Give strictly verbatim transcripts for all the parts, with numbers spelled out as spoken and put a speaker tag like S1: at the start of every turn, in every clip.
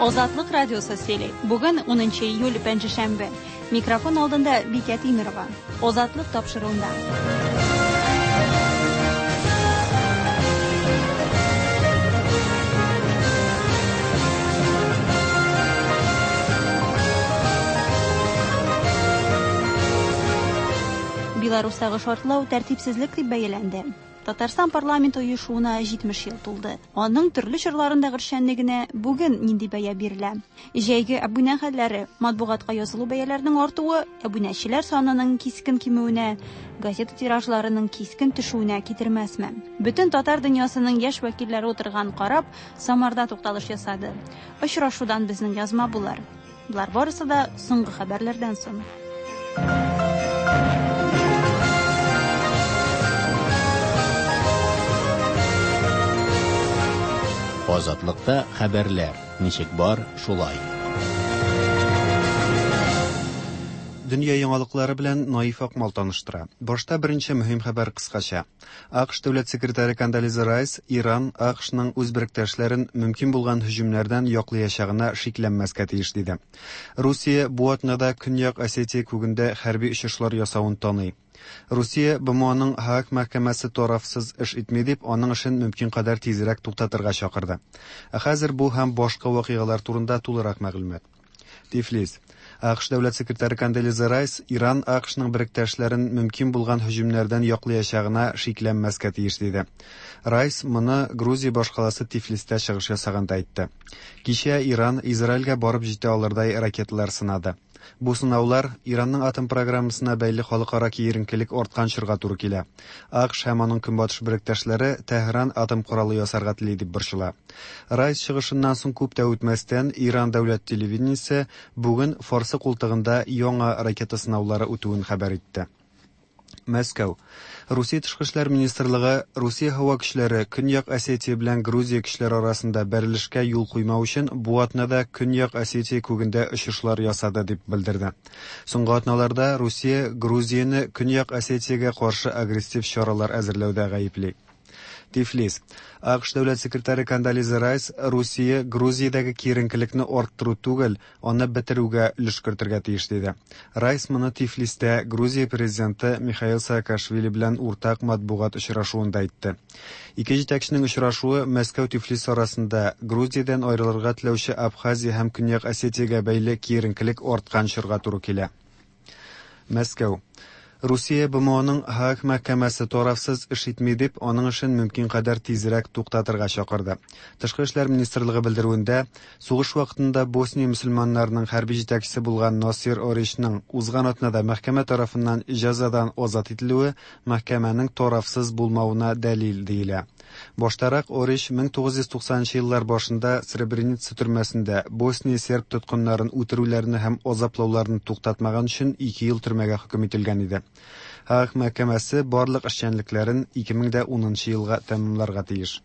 S1: Азатлык радиосы сөйли. Бүген унынчы июль, пәнҗешәмбе. Микрофон алдында Бикә Тимирова. Азатлык тапшыруында. Беларустагы шартлау тәртипсезлек дип бәяләнде. Татарстан парламенты оешуына җитмеш ел тулды. Аның төрле чорларындагы эшчәнлегенә бүген нинди бәя бирелә? Җәйге әбүнә хәлләре, матбугатка язылу бәяләренең артуы, әбүнәчеләр санының кискен кимүенә, газета тиражларының кискен төшүенә китермәсме? Бөтен татар дөньясының яшь вәкилләре утырган карап, Самарда тукталыш ясады. Очрашудан безнең язма булыр. Болар барысы да соңгы хәбәрләрдән соң.
S2: Азатлыкта хәбәрләр ничек бар, шулай.
S3: Дөнья яңалыклары белән Наиф Акмал таныштыра. Башта беренче мөһим хәбәр кыскача. АКШ дәүләт секретаре Кондолиза Райс Иран АКШның үз беректәшләрен мөмкин булган һөҗүмнәрдән яклаячагына шикләнмәскә тиеш диде. Русия бу атнада Көньяк Осетия күгендә хәрби очышлар ясавын таный. Русия БМОның Һааг мәхкәмәсе тарафсыз эш итми дип, аның эшен мөмкин кадәр тизрәк туктатырга чакырды. Ә хәзер бу һәм башка вакыйгалар турында тулырак мәгълүмат. Тифлис. АКШ дәүләт секретаре Кондолиза Райс Иран АКШның беректәшләрен мөмкин булган һөҗүмнәрдән яклаячагына шикләнмәскә тиеш диде. Райс моны Грузия башкаласы Тифлистә чыгыш ясаганда әйтте. Кичә Иран Израильгә барып җитә алырдай ракеталар сынады. Бу сынаулар Иранның атом программасына бәйле халыкара киеренкелек арткан чорга туры килә. АКШ һәм аның көнбатыш беректәшләре Тәһран атом коралы ясарга тели дип борчыла. Райс чыгышыннан соң күп тә үтмәстән Иран дәүләт телевидениесе бүген Фарсы култыгында яңа ракета сынаулары үтүен хәбәр итте. Мәскәү. Русия тышкы эшләр министрлыгы Русия һава көчләре Көньяк Осетия белән Грузия көчләре арасында бәрелешкә юл куймау өчен бу атнада Көньяк Осетия күгендә очышлар ясады дип белдерде. Соңгы атналарда Русия Грузияне Көньяк Осетиягә каршы агрессив чаралар әзерләүдә гаепли. Тифлис. АКШ дәүләт секретаре Кондолиза Райс Русия Грузиядәге киеренкелекне арттыру түгел, аны бетерүгә өлеш кертергә тиеш диде. Райс моны Тифлистә Грузия президенты Михаил Саакашвили белән уртак матбугат очрашуында әйтте. Ике җитәкченең очрашуы Мәскәү-Тифлис арасында Грузиядән аерылырга теләүче Абхазия һәм Көньяк Осетиягә бәйле киеренкелек арткан чорга туры килә. Мәскәү. Русия БМОның Һааг мәхкәмәсе тарафсыз эш итми дип, аның эшен мөмкин кадәр тизрәк туктатырга чакырды. Тышкы эшләр министрлыгы белдерүендә, сугыш вакытында Босния мөселманнарының хәрби җитәкчесе булган Насир Оричның узган атнада мәхкәмә тарафыннан җәзадан азат ителүе мәхкәмәнең тарафсыз булмавына дәлил диелә. Баштарак Орич мең тугыз йөз туксанынчы еллар башында Сребреница төрмәсендә Босния серб тоткыннарын үтерүләрне һәм азаплауларны туктатмаган өчен ике ел төрмәгә хөкем ителгән иде. Һааг мәхкәмәсе барлык эшчәнлекләрен ике мең дә унынчы елга тәмамларга тиеш.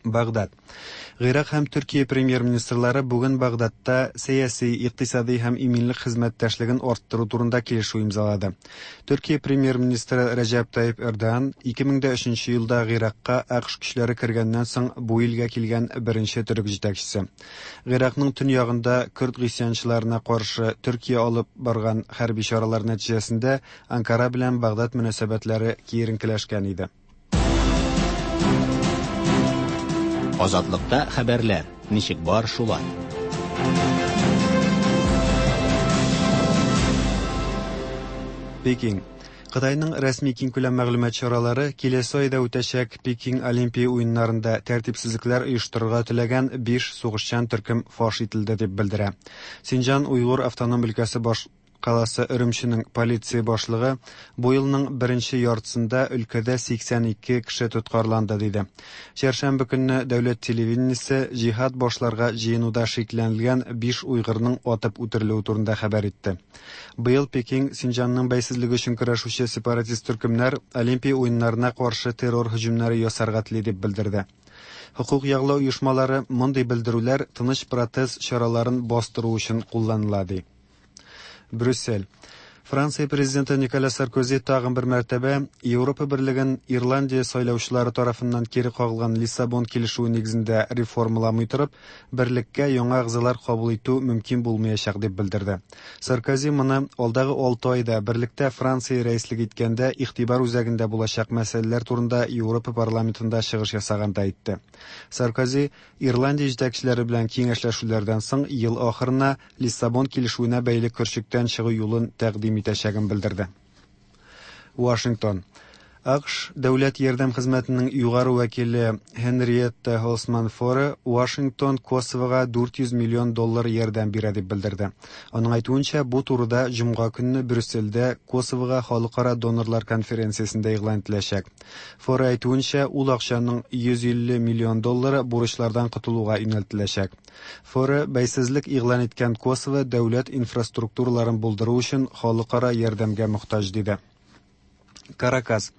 S3: Багдад. Гыйрак һәм Төркия премьер-министрлары бүген Багдадта сәяси, икътисади һәм иминлек хезмәттәшлеген арттыру турында килешү имзалады. Төркия премьер-министры Рәҗәп Тайип Эрдоган ике мең дә өченче елда Гыйракка АКШ көчләре кергәннән соң бу илгә килгән беренче төрек җитәкчесе. Гыйракның төньягында көрд гыйсьянчыларына каршы Төркия алып барган хәрби чаралар нәтиҗәсендә Анкара белән Багдад мөнәсәбәтләре киеренкеләшкән иде.
S2: Азатлыкта хәбәрләр ничек бар, шулай.
S3: Пекин. Кытайның рәсми киңкүләм мәгълүмат чаралары киләсе айда үтәчәк Пекин Олимпия уеннарында тәртипсезлекләр оештырырга теләгән биш сугышчан төркем фаш ителде дип белдерә. Синҗан Уйгур автоном өлкәсе баш каласы Өремченең полиция башлыгы бу елның беренче яртысында өлкәдә сиксән ике кеше тоткарланды диде. Чәршәмбе көнне дәүләт телевидениесе җиһад башларга җыенуда шикләнелгән биш уйгырның атып үтерелүе турында хәбәр итте. Быел Пекин Синҗанның бәйсезлеге өчен көрәшүче сепаратист төркемнәр Олимпия уеннарына каршы террор һөҗүмнәре ясарга тели дип белдерде. Хукук яклау оешмалары мондый белдерүләр тыныч протест чараларын бастыру өчен кулланыла ди. Брюссель. Франция президенты Николя Саркози тагын бер мәртәбә Европа берлеген Ирландия сайлаучылары тарафыннан кире кагылган Лиссабон килешүе нигезендә реформаламый торып, берлеккә яңа әгъзалар кабул итү мөмкин булмаячак дип белдерде. Саркози моны алдагы алты айда берлектә Франция рәислек иткәндә игътибар үзәгендә булачак мәсьәләләр турында Европа парламентында чыгыш ясаганда әйтте. Саркози Ирландия җитәкчеләре белән киңәшләшүләрдән соң ел ахырына Лиссабон килешүенә бәйле көрчектән чыгу юлын тәкъдим итәчәген белдерде. Вашингтон. АКШ дәүләт ярдәм хезмәтенең югары вәкиле Хенриетта Холсман Форе Вашингтон Косовога дүрт йөз миллион доллар ярдәм бирә дип белдерде. Аның әйтүенчә, бу турыда җомга көнне Брюссельдә Косовога халыкара донорлар конференциясендә игълан ителәчәк. Форе әйтүенчә, ул акчаның йөз илле миллион доллары бурычлардан котылуга юнәлтеләчәк. Форе бәйсезлек игълан иткән Косово дәүләт инфраструктураларын булдыру өчен халыкара ярдәмгә мохтаҗ диде. Каракас.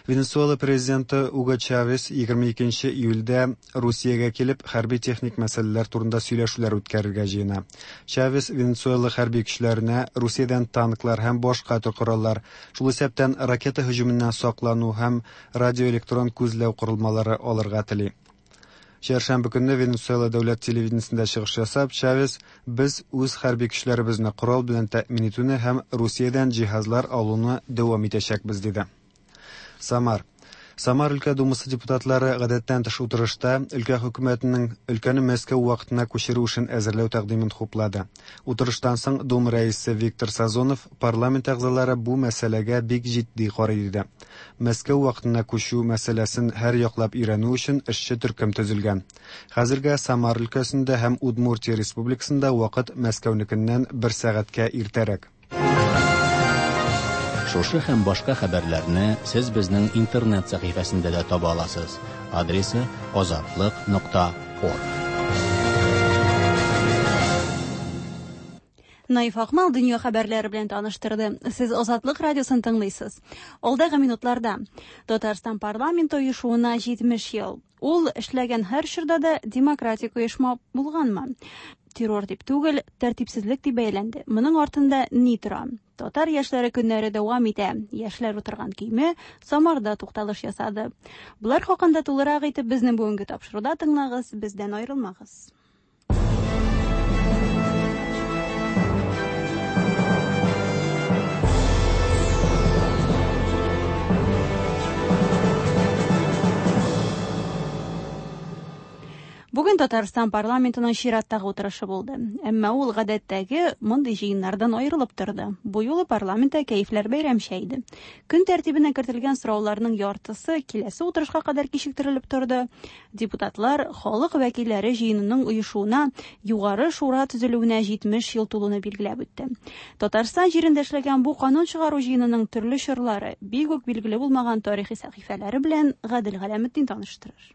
S3: Венесуэла президенты Уго Чавес егерме икенче июльдә Русиягә килеп хәрби техник мәсьәләләр турында сөйләшүләр үткәрергә җыена. Чавес Венесуэла хәрби көчләренә Русиядән танклар һәм башка төр кораллар, шул исәптән ракета һөҗүменнән саклану һәм радиоэлектрон күзләү корылмалары алырга тели. Чәршәмбе көнне Венесуэла дәүләт телевидениесендә чыгыш ясап, Чавес без үз хәрби көчләребезне корал белән тәэмин итүне һәм Русиядән җиһазлар алуны дәвам итәчәкбез диде. Самар. Самар өлкә думасы депутатлары гадәттән тыш утырышта өлкә хөкүмәтенең өлкәне Мәскәү вакытына күчерү эшен әзерләү тәкъдимен хуплады. Утырыштан соң Дума рәисе Виктор Сазонов парламент әгъзалары бу мәсьәләгә бик җитди карый диде. Мәскәү вакытына күчү мәсьәләсен һәр яклап өйрәнү өчен эшче төркем төзелгән. Хәзергә Самар өлкәсендә һәм Удмуртия республикасында вакыт Мәскәүнекеннән бер сәгатькә иртәрәк.
S2: Шушы һәм башка хәбәрләрне сез безнең интернет сәхифәсендә дә таба аласыз. Адресы азатлык нокта орг.
S1: Наиф Акмал дөнья хәбәрләре белән таныштырды. Сез Азатлык радиосын тыңлыйсыз. Алдагы минутларда Татарстан парламенты оешуына җитмеш ел. Ул эшләгән һәр чорда да демократик оешма булганмы? Террор дип түгел, тәртипсезлек дип бәяләнде. Моның артында ни тора? Татар яшьләре көннәре дәвам итә. Яшьләр утырган көймә Самарда тукталыш ясады. Булар хакында тулырак итеп безнең бүгенге тапшыруда тыңлагыз, бездән аерылмагыз. Бүген Татарстан парламентының чираттагы утырышы булды. Әмма ул гадәттәге мондый җыеннардан аерылып торды. Бу юлы парламентта кәефләр бәйрәмчә иде. Көн тәртибенә кертелгән сорауларның яртысы киләсе утырышка кадәр кичектерелеп торды. Депутатлар халык вәкилләре җыенының оешуына, Югары шура төзелүенә җитмеш ел тулуны билгеләп үтте. Татарстан җирендә эшләгән бу канун чыгару җыенының төрле чорлары, бик үк билгеле булмаган тарихи сәхифәләре белән Гадел Галәметдин таныштырыр.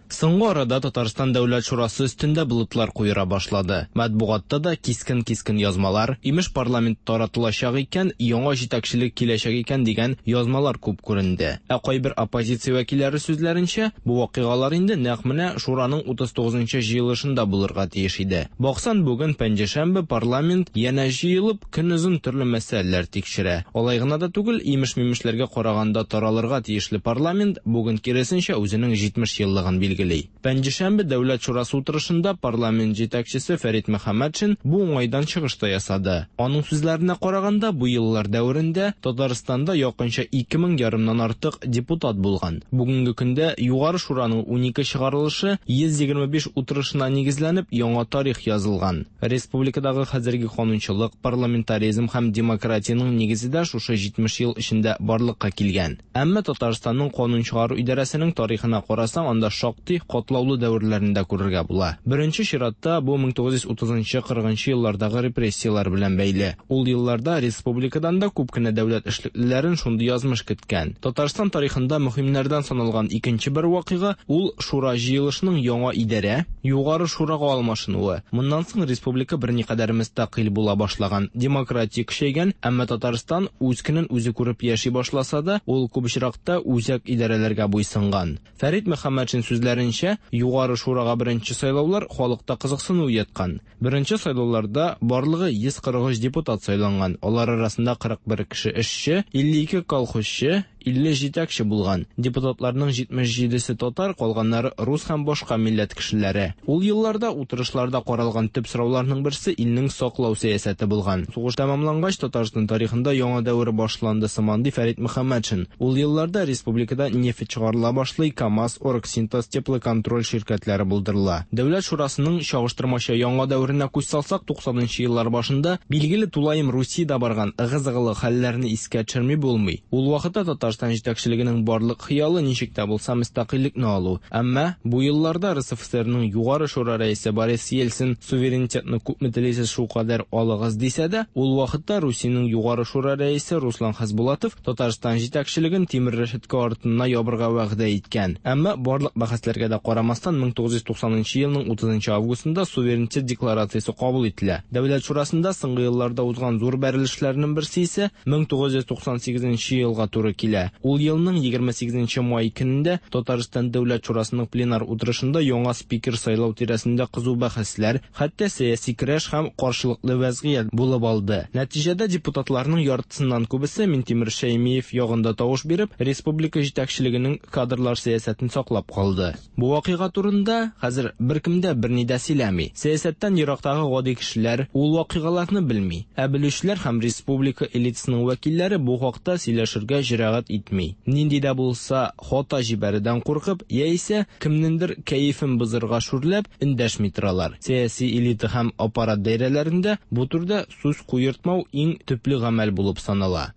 S4: Соңгы арада Татарстан Дәүләт Шурасы өстендә болытлар куера башлады. Матбугатта да кискен-кискен язмалар, имеш парламент таратылачак икән, яңа җитәкчелек киләчәк икән дигән язмалар күп күренде. Ә кайбер оппозиция вәкилләре сүзләренчә, бу вакыйгалар инде нәкъ менә Шураның утыз тугызынчы җыелышында булырга тиеш иде. Баксан, бүген пәнҗешәмбе парламент янә җыелып, көнозын төрле мәсьәләләр тикшерә. Алай гына да түгел, имеш-мимешләргә караганда таралырга тиешле парламент бүген киресенчә үзенең җитмеш еллыгын билгели. Пәнҗешәмбе Дәүләт Шурасы утырышында парламент җитәкчесе Фәрит Мөхәммәтшин бу уңайдан чыгыш та ясады. Аның сүзләренә караганда, бу еллар дәверендә Татарстанда якынча ике мең ярымнан артык депутат булган. Бүгенге көндә Югары Шураның унике чыгарылышы йөз егерме биш утырышына нигезләнеп яңа тарих язылган. Республикадагы хәзерге канунчылык, парламентаризм һәм демократиянең нигезе дә шушы җитмеш ел эчендә барлыкка килгән. Әмма Татарстанның канун чыгару идарәсенең тарихына карасаң, анда шактый катлаулы дәверләрендә күрергә була. Беренче чиратта бу мең тугыз йөз утызынчы кырыгынчы еллардагы репрессияләр белән бәйле. Ул елларда республикадан да күп кенә дәүләт эшлеклеләрен шундый язмыш көткән. Татарстан тарихында мөһимнәрдән саналган икенче бер вакыйга ул Шура җыелышының яңа идарә, Югары Шурага алмашынуы. Моннан соң республика берникадәр мөстәкыйль була башлаган, демократия көчәйгән, әмма Татарстан үз көнен үзе күреп яши башласа да, ул күп очракта үзәк идарәләргә буйсынган. Фәрит Мөхәммәтшин сүзләренчә, Сүзләренчә, Югары Шурага беренче сайлаулар халыкта кызыксыну уяткан. Беренче сайлауларда барлыгы йөз кырык өч депутат сайланган. Алар арасында кырык бер кеше эшче, илле ике колхозчы, илле җитәкче булган. Депутатларның җитмеш җидесе татар, калганнары рус һәм башка милләт кешеләре. Ул елларда утырышларда каралган төп сорауларның берсе илнең саклау сәясәте булган. Сугыш тәмамлангач, Татарстан тарихында яңа дәвер башланды сыман, ди Фәрит Мөхәммәтшин. Ул елларда республикада нефть чыгарыла башлый, КАМАЗ, Оргсинтез, Теплоконтроль ширкәтләре булдырыла. Дәүләт шурасының чагыштырмача яңа дәверенә күз салсак, туксанынчы еллар башында билгеле тулаем Русиядә барган ыгы-зыгылы хәлләрне искә төшерми булмый. Ул вакытта Татарстан җитәкчелегенең барлык хыялы ничек тә булса мөстәкыйльлекне алу. Әмма бу елларда РСФСРның Югары Шура рәисе Борис Ельцин суверенитетны күпме телисез шул кадәр алыгыз дисә дә, ул вакытта Русиянең Югары Шура рәисе Руслан Хасбулатов Татарстан җитәкчелеген тимер рәшәткә артына ябырга вәгъдә иткән. Әмма барлык бәхәсләргә дә карамастан, мең тугыз йөз туксанынчы елның утызынчы августында суверенитет декларациясе кабул ителә. Дәүләт шурасында соңгы елларда узган зур бәрелешләрнең берсе исә мең тугыз йөз туксан сигезенче елга туры килә. Ул елның егерме сигезенче май көнендә Татарстан Дәүләт Шурасының пленар утырышында яңа спикер сайлау тирәсендә кызу бәхәсләр, хәтта сәяси көрәш һәм каршылыклы вәзгыять булып алды. Нәтиҗәдә депутатларның яртысыннан күбесе Минтимер Шәймиев ягында тавыш биреп, республика җитәкчелегенең кадрлар сәясәтен саклап калды. Бу вакыйга турында хәзер беркем дә берни дә сөйләми. Сәясәттән ерактагы гади кешеләр ул вакыйгаларны белми. Ә белүчеләр һәм республика элитасының вәкилләре бу хакта сөйләшергә җөрәгать итми. Нинди дә булса хата җибәрүдән куркып, яисә кемнеңдер кәефен бозырга шүрләп эндәшми торалар. Сәяси элита һәм аппарат даирәләрендә бу турыда сүз куертмау иң төпле гамәл булып санала.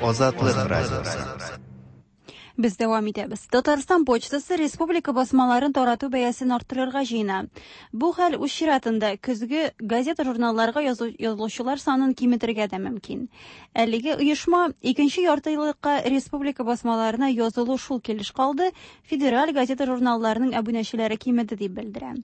S3: Азатлык радиосы.
S1: Без дәвам итәбез. Татарстан почтасы республика басмаларын тарату бәясен арттырырга җыена. Бу хәл үз чиратында көзге газета-журналларга язылучылар санын киметергә дә мөмкин. Әлеге оешма икенче ярты еллыкка республика басмаларына язылу шул килеш калды, федераль газета-журналларның әбүнәчеләре кимеде дип белдерә.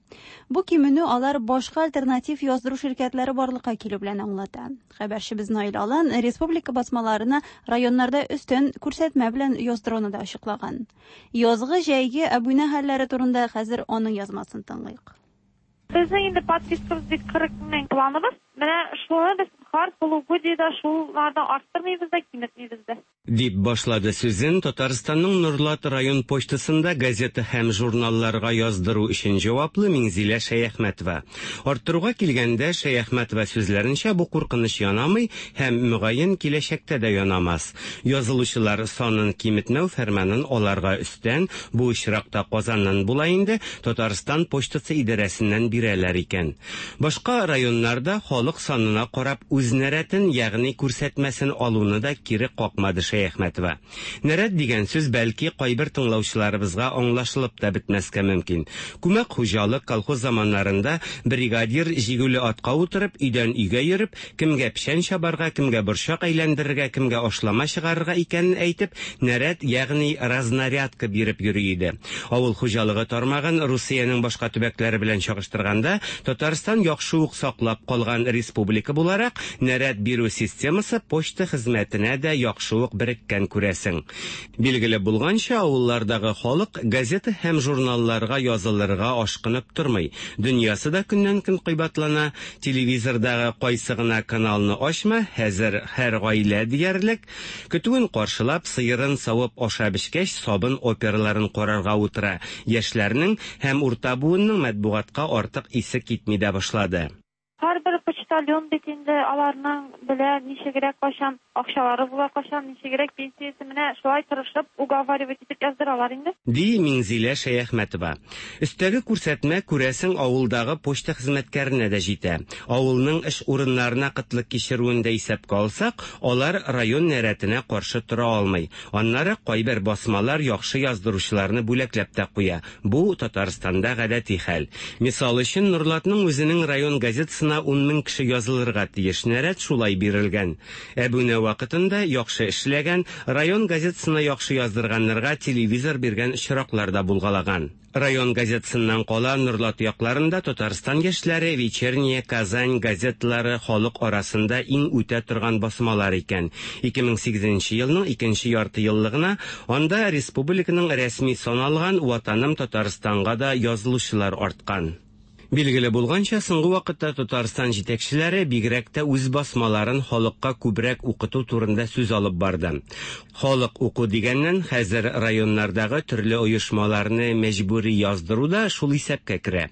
S1: Бу кименү алар башка альтернатив яздыру ширкәтләре барлыкка килү белән аңлата. Хәбәрчебез Наил Алан республика басмаларына районнарда өстен күрсәтмә белән яздыруны да ачыклаган. Язгы җәйге әбүнә хәлләре турында хәзер аның язмасын тыңлыйк.
S5: Безнең инде подпискабыз бит кырык мең планыбыз. Менә шуны без һәр полугодиедә шуларны арттырмыйбыз да, киметмибез дә.
S6: Дип башлады сүзен Татарстанның Нурлат район почтасында газета һәм журналларга яздыру өчен җаваплы Миңзилә Шәяхмәтова. Арттыруга килгәндә Шәяхмәтова сүзләренчә бу куркыныч янамый һәм мөгаен киләчәктә дә янамас. Язылучылар санын киметмәү фәрманын аларга өстән, бу очракта Казаннан була инде, Татарстан почтасы идарәсеннән бирәләр икән. Башка районнарда халык санына карап үз нәрәтен, ягъни күрсәтмәсен алуны да кире какмады Шәяхмәтова. Нәрәт дигән сүз бәлки кайбер тыңлаучыларыбызга аңлашылып та бетмәскә мөмкин. Күмәк хуҗалык колхоз заманнарында бригадир җигүле атка утырып, өйдән өйгә йөреп, кемгә печән чабарга, кемгә борчак әйләндерергә, кемгә ашлама чыгарырга икәнен әйтеп, нәрәт, ягъни разнарядка биреп йөри иде. Авыл хуҗалыгы тармагын Русиянең башка төбәкләре белән чагыштырганда, Татарстан яхшы ук саклап калган республика буларак, нәрәт бирү системасы почта хезмәтенә дә яхшы ук береккән күрәсең. Билгеле булганча, авыллардагы халык газета һәм журналларга язылырга ашкынып тормый. Дөньясы да көннән-көн кыйбатлана. Телевизордагы кайсы гына каналны ачма, хәзер һәр гаилә диярлек көтүен каршылап, сыерын савып ашап эчкәч, сабын операларын карарга утыра. Яшьләрнең һәм урта буынның матбугатка артык исе китми дә башлады.
S5: Һәрбер почтальон бит инде аларның белә ничегрәк кайчан акчалары була, кайчан ничегрәк пенсиясе, менә шулай тырышып уговаривать итеп яздыралар инде.
S6: Ди Миңзилә Шәяхмәтова. Өстәге күрсәтмә күрәсең авылдагы почта хезмәткәренә дә җитә. Авылның эш урыннарына кытлык кичерүен дә исәпкә алсак, алар район нәрәтенә каршы тора алмый. Аннары кайбер басмалар яхшы яздыручыларны бүләкләп тә куя. Бу Татарстанда гадәти хәл. Мисал өчен, Нурлатның үзенең район газетасына ун мең кеше яхшы язылырга тиеш, нәрәт шулай бирелгән. Әбүнә вакытында яхшы эшләгән, район газетасына яхшы яздырганнарга телевизор биргән очраклар да булгалаган. Район газетасыннан кала Нурлат якларында Татарстан яшьләре, Вечерняя Казань газеталары халык арасында иң үтә торган басмалар икән. ике мең сигезенче елның икенче ярты еллыгына анда республиканың рәсми саналган Ватаным Татарстанга да язылучылар арткан. Билгеле булганча, соңгы вакытта Татарстан җитәкчеләре бигрәк тә үз басмаларын халыкка күбрәк укыту турында сүз алып барды. Халык уку дигәннән хәзер районнардагы төрле оешмаларны мәҗбүри яздыру да шул исәпкә керә.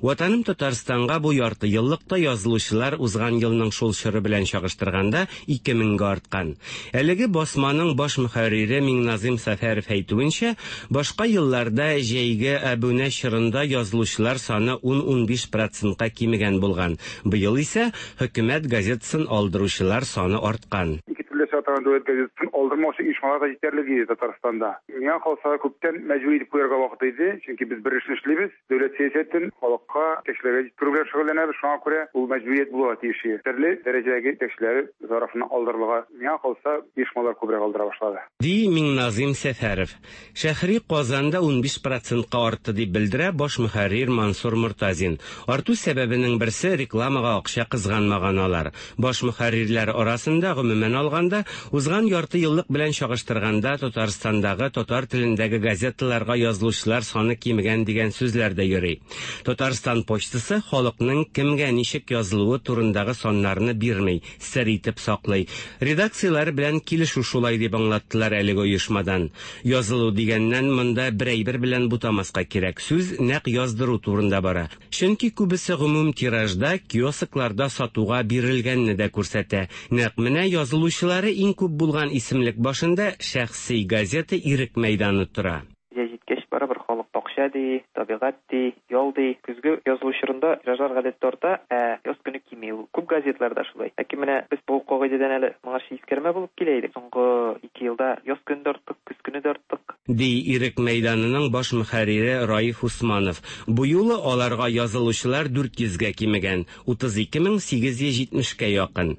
S6: Ватаным Татарстанга бу ярты еллыкта язылучылар узган елның шул чоры белән чагыштырганда ике меңгә арткан. Әлеге басманың баш мөхәррире Миңназим Сәфәров әйтүенчә, башка елларда җәйге әбүнә чорында язылучылар саны ун-ун биш процентка кимегән булган. Быел исә хөкүмәт газетасын алдыручылар саны арткан.
S7: Ике төрле чыга дәүләт газетасын алдырмаучы оешмалар да җитәрлек иде Татарстанда. Миңа калса, күптән мәҗбүри итеп куярга вакыт иде, чөнки без бер эшне эшлибез, дәүләт сәясәтен халыкка, кешеләргә җиткерү белән шөгыльләнәбез, шуңа күрә ул мәҗбүрият булырга тиеш. Төрле дәрәҗәдәге җитәкчеләр тарафыннан алдырылырга, миңа калса, оешмалар күбрәк алдыра башлады.
S6: Ди Миңназим Сәфәров. Шәһри Казанда ун биш процентка артты дип белдерә баш мөхәррир Мансур Мортазин. Арту сәбәбенең берсе рекламага акча кызганмаган алар. Баш мөхәррирләр арасында гомумән алганда узган ярты еллык белән чагыштырганда Татарстандагы татар телендәге газеталарга язылучылар саны кимегән дигән сүзләр дә йөри. Татарстан почтасы халыкның кемгә ничек язылуы турындагы саннарны бирми, сер итеп саклый. Редакцияләр белән килешү шулай дип аңлаттылар әлеге оешмадан. Язылу дигәннән монда бер әйбер белән бутамаска кирәк. Сүз нәкъ яздыру турында бара. Чөнки күбесе гомум тиражда, киоскларда сатуга бирелгәнне дә күрсәтә. Нәкъ менә язылучылары иң күп булган исемлек башында шәхси газета Ирек мәйданы тора.
S8: Җәй җиткәч барыбер халык бакча ди, табигать ди, ял ди. Көзге язылу чорында тиражлар гадәттә арта, ә яз көне кими. Ул күп газетларда шулай. Ләкин менә без бу кагыйдәдән әле моңарчы искәрмә булып килә идек. Соңгы ике елда яз көне дә арттык, көз көне дә арттык.
S6: Ди Ирек мәйданының баш мөхәррире Раиф Усманов. Бу юлы аларга язылучылар дүрт йөзгә кимегән, утыз ике мең сигез йөз җитмешкә якын.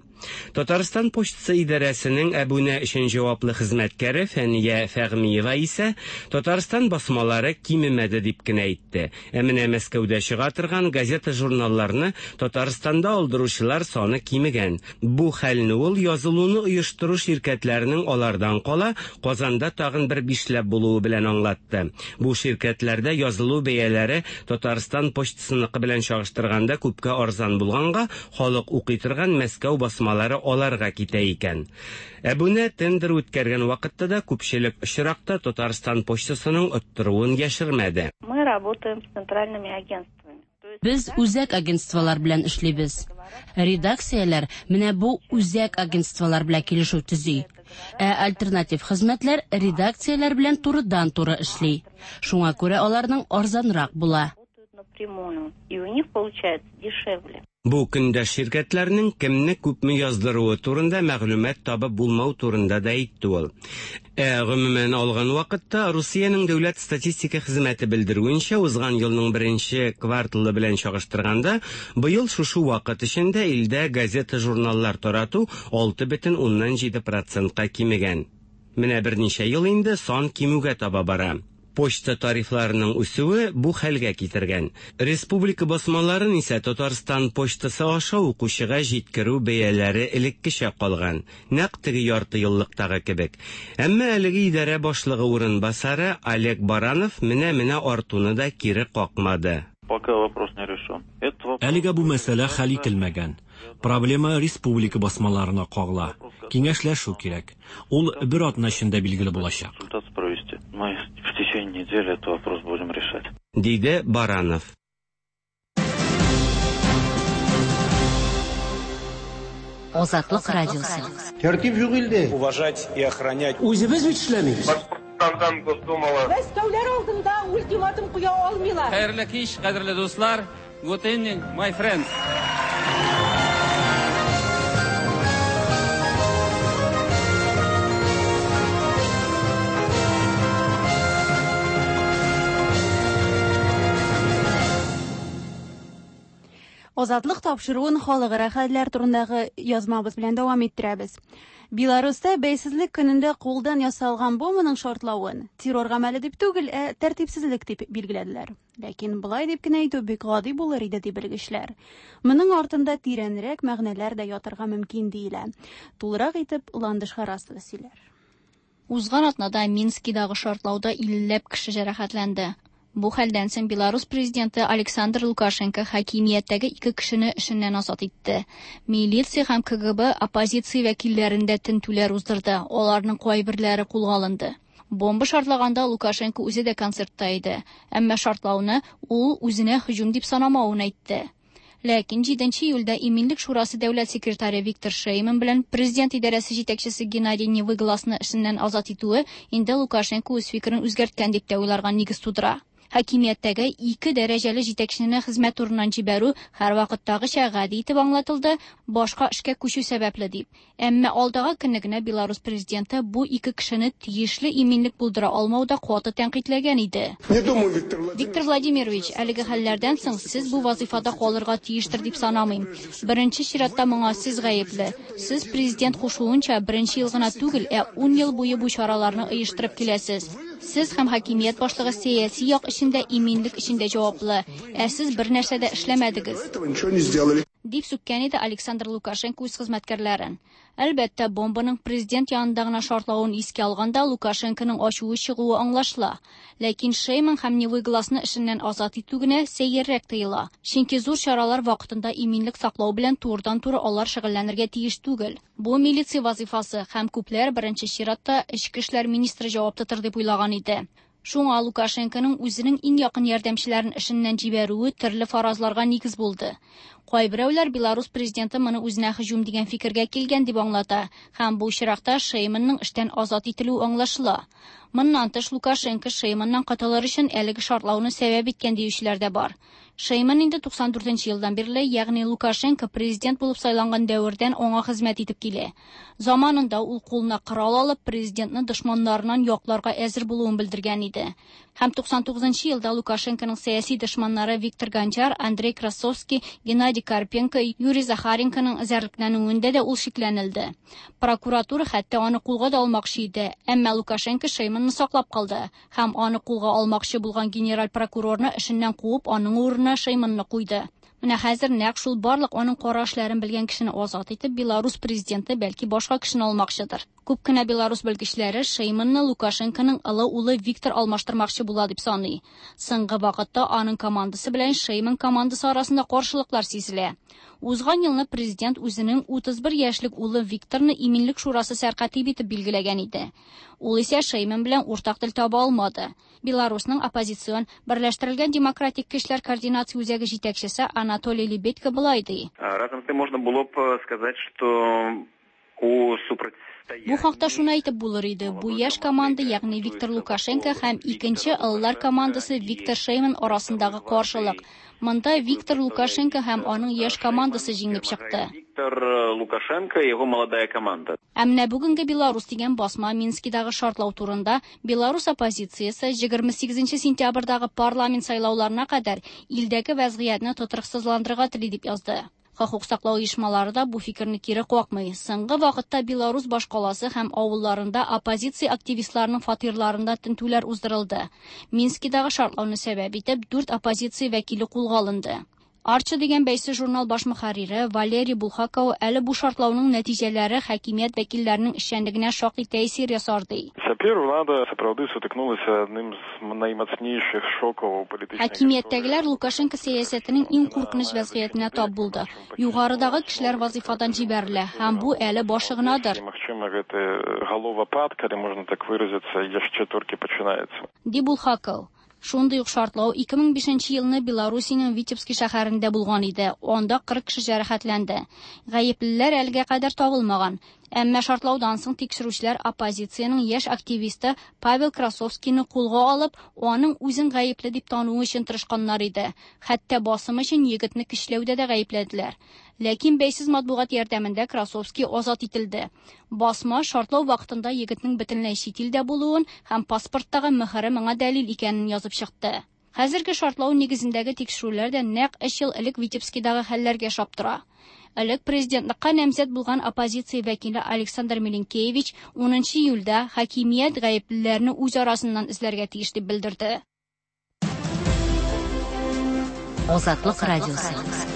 S6: Татарстан почтасы идарәсенең әбүнә өчен җаваплы хезмәткәре Фәния Фәгъмиева исә Татарстан басмалары кимемәде дип кенә әйтте. Ә менә Мәскәүдә чыга торган газета-журналларны Татарстанда алдыручылар саны кимегән. Бу хәлне ул язылуны оештыру ширкәтләренең алардан кала Казанда тагын бер бишләп булуы белән аңлатты. Бу ширкәтләрдә язылу бәяләре Татарстан почтасыныкы белән чагыштырганда күпкә арзан булганга, халык укый торган Мәскәү басмалары аларга китә икән. Әбүнә тендер үткәргән вакытта да күпчелек очракта Татарстан почтасының оттыруын яшермәде.
S9: Мы работаем с центральными агентствами.
S10: Без үзәк агентстволар белән эшлибез. Редакцияләр менә бу үзәк агентстволар белән килешү төзи. Ә альтернатив хезмәтләр редакцияләр белән турыдан-туры эшли. Шуңа күрә аларның арзанрак була.
S9: Напрямую, и у них получается дешевле.
S6: Бу көндә ширкәтләрнең кемне күпме яздыруы турында мәгълүмат табып булмау турында да әйтте ул. Ә гомумән алган вакытта Русиянең дәүләт статистика хезмәте белдерүенчә, узган елның беренче кварталы белән чагыштырганда, быел шушы вакыт эчендә илдә газета-журналлар тарату алты бөтен уннан җиде процентка кимегән. Менә берничә ел инде сан кимүгә таба бара. Почта тарифларының үсүе бу хәлгә китергән. Республика басмаларын исә Татарстан почтасы аша укучыга җиткерү бәяләре элеккечә калган, нәкъ теге ярты еллыктагы кебек. Әмма әлеге идарә башлыгы урынбасары Олег Баранов менә-менә артуны да кире какмады.
S11: Пока вопрос не решен.
S12: Әлегә бу мәсьәлә хәл ителмәгән. Проблема республика басмаларына кагыла. Киңәшләшү кирәк. Ул бер атна эчендә билгеле булачак.
S11: Провести. Мы в течение недели этот вопрос будем решать.
S6: Диде Баранов.
S10: Азатлык радиосы.
S13: Тәртип юк илдә.
S14: Уважать и охранять.
S13: Үзебез бит эшләмибез.
S7: Башкортстандан Госдумала.
S15: Мәскәүләр алдында ультиматум куя алмыйлар.
S16: Хәерле кич, кадерле дуслар. Good evening, my friends.
S1: Азатлык тапшыруын халыкара хәлләр турындагы язмабыз белән дәвам иттерәбез. Беларуста бәйсезлек көнендә кулдан ясалган бомбаның шартлавын террор гамәле дип түгел, ә тәртипсезлек дип билгеләделәр. Ләкин болай дип кенә әйтү бик гади булыр иде, ди белгечләр. Моның артында тирәнрәк мәгънәләр дә ятырга мөмкин диелә. Тулырак итеп Ландыш Харасова сөйләр.
S14: Узган атнада Минскидагы шартлауда иллеләп кеше җәрәхәтләнде. Бу хәлдән соң Беларус президенты Александр Лукашенко хакимияттәге ике кешене эшеннән азат итте. Милиция һәм К Г Б оппозиция вәкилләрендә тентүләр уздырды. Аларның кайберләре кулга алынды. Бомба шартлаганда Лукашенко үзе дә концертта иде. Әмма шартлауны ул үзенә һөҗүм дип санамавын әйтте. Ләкин җиденче июльдә Иминлек шурасы дәүләт секретаре Виктор Шейман белән президент идарәсе җитәкчесе Геннадий Невыгласны эшеннән азат итүе инде Лукашенко үз фикерен үзгәрткән дип тә уйларга нигез тудыра. Хакимияттәге ике дәрәҗәле җитәкчене хезмәт урыннан җибәрү һәрвакыттагыча гади итеп аңлатылды, башка эшкә күчү сәбәпле дип. Әмма алдагы көнне генә Беларус президенты бу ике кешене тиешле иминлек булдыра алмауда каты тәнкыйтьләгән иде.
S13: Не думаю, Виктор Владимирович.
S14: Виктор Владимирович, әлеге хәлләрдән соң сез бу вазифада калырга тиештер дип санамыйм. Беренче чиратта моңа сез гаепле. Сез президент кушуынча беренче ел гына түгел, ә ун ел буе бу чараларны оештырып киләсез. Сез һәм хакимият башлыгы сәяси як өчен дә, иминлек өчен дә җаваплы. Ә сез бер нәрсә дә эшләмәдегез.
S13: Этого ничего не сделали.
S14: Дип сүккән иде Александр Лукашенко үз хезмәткәрләрен. Әлбәттә, бомбаның президент янында гына шартлавын искә алганда Лукашенконың ачуы чыгуы аңлашыла. Ләкин Шейман һәм Невыгласны эшеннән азат итү генә сәеррәк тоела. Чөнки зур чаралар вакытында иминлек саклау белән турыдан-туры алар шөгыльләнергә тиеш түгел. Бу милиция вазифасы һәм күпләр беренче чиратта эчке эшләр министры җавап тотыр дип уйлаган иде. Шуңа Лукашенконың үзенең иң якын ярдәмчеләрен эшеннән җибәрүе төрле фаразларга нигез булды. Кайберәүләр Беларус президенты моны үзенә һөҗүм дигән фикергә килгән дип аңлата һәм бу очракта Шейманның эштән азат ителүе аңлашыла. Моннан тыш Лукашенко Шейманнан котылыр өчен әлеге шартлауны сәбәп иткән диючеләр дә бар. Шейман инде туксан дүртенче елдан бирле, ягъни Лукашенко президент булып сайланган дәвердән аңа хезмәт итеп килә. Заманында ул кулына корал алып президентны дошманнарыннан якларга әзер булуын белдергән иде. Һәм туксан тугызынчы елда Лукашенконың сәяси дошманнары Виктор Гончар, Андрей Красовский, Геннадий Карпенко, Юрий Захаренконың эзәрлекләнүендә дә ул шикләнелде. Прокуратура хәтта аны кулга да алмакчы иде, әмма Лукашенко Шейманны саклап калды һәм аны кулга алмакчы булган генераль прокурорны эшеннән куып, аның урынына Шейманны куйды. Менә хәзер нәкъ шул барлык аның кара эшләрен белгән кешене азат итеп, Беларус президенты бәлки башка кешене алмакчыдыр. Күп кенә Беларус белгечләре Шейманны Лукашенконың олы улы Виктор алмаштырмакчы була дип саный. Соңгы вакытта аның командасы белән Шейман командасы арасында каршылыклар сизелә. Узган елны президент үзенең утыз бер яшьлек улы Викторны Иминлек шурасы сәркатиб итеп билгеләгән иде. Ул исә Шейман белән уртак тел таба алмады. Беларусның оппозицион Берләштерелгән демократик көчләр координация үзәге җитәкчесе Анатолий Лебедько болай ди.
S17: Разом с тем можно было бы сказать, что у супротивления
S14: Бу хакта шуны әйтеп булыр иде. Бу яшь команда, ягъни Виктор Лукашенко һәм икенче ыллар командасы Виктор Шейман арасындагы каршылык. Монда Виктор Лукашенко һәм аның яшь командасы җиңеп чыкты.
S17: Виктор Лукашенко и его молодая команда.
S14: Ә менә бүгенге Беларус дигән басма Минскидагы шартлау турында Беларус оппозициясе егерме сигезенче сентябрьдәге парламент сайлауларына кадәр илдәге вәзгыятьне тотрыксызландырырга тели дип язды. Хокук саклау оешмалары да бу фикерне кире какмый. Соңгы вакытта Беларус башкаласы һәм авылларында оппозиция активистларының фатирларында тентүләр уздырылды. Минскидагы шартлауны сәбәп итеп дүрт оппозиция вәкиле кулга алынды. Арча дигән бәйсез журнал баш мөхәррире Валерий Булхаков әле бу шартлауның нәтиҗәләре хакимият вәкилләренең эшчәнлегенә шактый тәэсир ясар ди.
S18: Цяпер улада сапраўды сутыкнулася адным з наймацнейшых шокаў у палітычнай
S14: Хакимияттәгеләр Лукашенко сәясәтенең иң куркыныч вәзгыятенә тап булды. Югарыдагы кешеләр вазифадан җибәрелә һәм бу әле башы гынадыр.
S18: Магчыма, гэты галовапад, калі можна так выразіцца, яшчэ толькі пачынаецца.
S14: Ди Булхаков. Шундый ук шартлау ике мең бишенче елны Белоруссиянең Витебский шәһәрендә булган иде. Анда кырык кеше җәрәхәтләнде. Гаеплеләр әлегә кадәр табылмаган. Әмма шартлаудан соң тикшерүчеләр оппозициянең яшь активисты Павел Красовскийны кулга алып, аның үзен гаепле дип тануы өчен тырышканнар иде. Хәтта басым өчен егетне көчләүдә дә гаепләделәр. Ләкин бәйсез матбугат ярдәмендә Красовский азат ителде. Басма шартлау вакытында егетнең бөтенләй чит илдә булуын һәм паспорттагы мөһере моңа дәлил икәнен язып чыкты. Хәзерге шартлау нигезендәге тикшерүләр дә нәкъ өч ел элек Витебскидагы хәлләргә ошап тора. Элек президентлыкка намзәт булган оппозиция вәкиле Александр Милинкевич унынчы июльдә хакимият гаеплеләрне үз арасыннан эзләргә тиеш дип белдерде.
S10: Азатлык радиосы.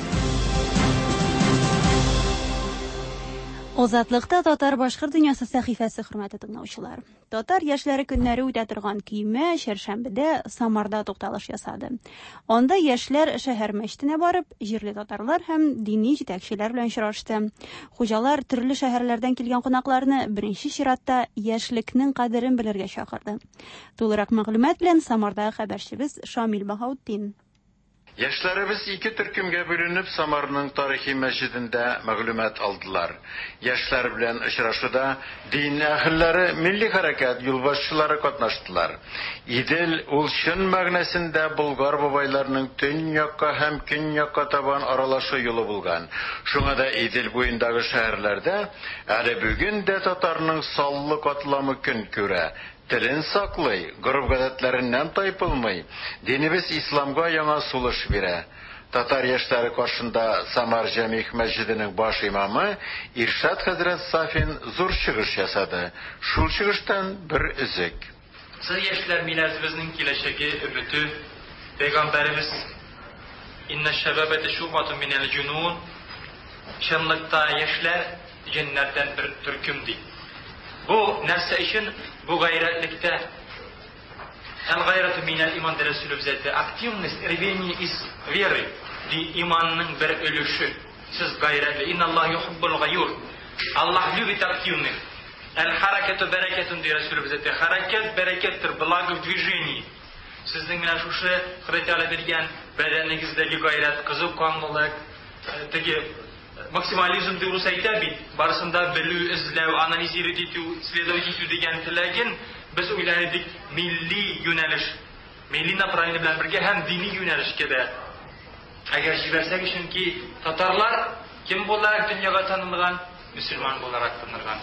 S1: Азатлыкта татар башкорт дөньясы сәхифәсе, хөрмәтле тыңлаучылар. Татар яшьләре көннәре үтә торган көймә чәршәмбедә Самарда тукталыш ясады. Анда яшьләр шәһәр мәчетенә барып, җирле татарлар һәм дини җитәкчеләр белән очрашты. Хуҗалар төрле шәһәрләрдән килгән кунакларны беренче чиратта яшьлекнең кадерен белергә чакырды. Тулырак мәгълүмат белән Самардагы хәбәрчебез Шамил Баһаутдин.
S19: Яшьләребез ике төркемгә бүленеп Самарның тарихи мәчетендә мәгълүмат алдылар. Яшьләр белән очрашуда дин әһелләре, милли хәрәкәт юлбашчылары катнаштылар. Идел ул чын мәгънәсендә Болгар бабайларының төньякка һәм көньякка табан аралашу юлы булган. Шуңа да Идел буендагы шәһәрләрдә әле бүген дә татарның саллы катламы көн күрә. Телен саклый, гореф-гадәтләреннән тайпылмый, динебез исламга яңа сулыш бирә. Татар яшьләре каршында Самар Җәмигъ мәчетенең баш имамы Иршат хәзрәт Сафин зур чыгыш ясады. Шул чыгыштан бер өзек.
S20: Сез яшьләр милләтебезнең киләчәге, өмете. Пәйгамбәребез инна шәбәбәте шубату минәл җунун. Чынлыкта яшьләр җеннәрдән бер төркем ди. Бу нәрсә өчен? Бу гайрәтлектә. Әл-гайрату минәл иман дә Рәсүлебез әйтте. Активность, рвение из веры ди иманның бер өлеше. Сез гайрәтле. Инналлаһ юхиббул гаюр. Аллаһ любит активных. Әл-харакату бәрәкәтун ди Рәсүлебез әйтте. Хәрәкәт бәрәкәттер, благо в движении. Сезнең менә шушы Ходай Тәгалә биргән бәдәнегездәге гайрәт, кызу канлылык, теге максимализм дип рус әйтә бит, барысында белү, эзләү, анализировать итү, исследовать итү дигән теләген без уйлар идек милли юнәлеш, милли направление белән бергә һәм дини юнәлешкә дә. Әгәр җибәрсәк, чөнки татарлар кем буларак дөньяга танылган, мөселман буларак танылган.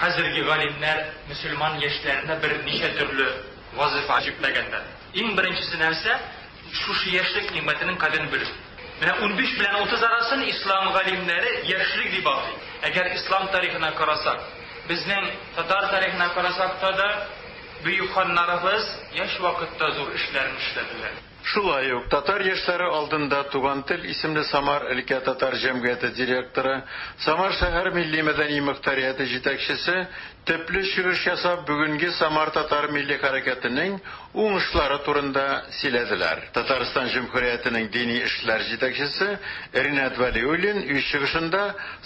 S20: Хәзерге галимнәр мөселман яшьләренә берничә төрле вазифа йөкләгәннәр. Иң беренчесе нәрсә? Шушы яшьлек нигъмәтенең кадерен белү. Менә унбиш белән утыз арасын ислам галимнәре яшьлек дип атый. Әгәр ислам тарихына карасак, безнең татар тарихына карасак та да бөек ханнарыбыз яшь вакытта зур эшләрен эшләделәр.
S19: Шулай ук татар яшьләре алдында Туган тел исемле Самар өлкә татар җәмгыяте директоры, Самар шәһәр милли мәдәни мөхтәрияте җитәкчесе төпле чыгыш ясап бүгенге Самар татар милли хәрәкәтенең уңышлары турында сөйләделәр. Татарстан Җөмһүриятенең дини эшләр җитәкчесе Ринат Вәлиуллин үз чыгышында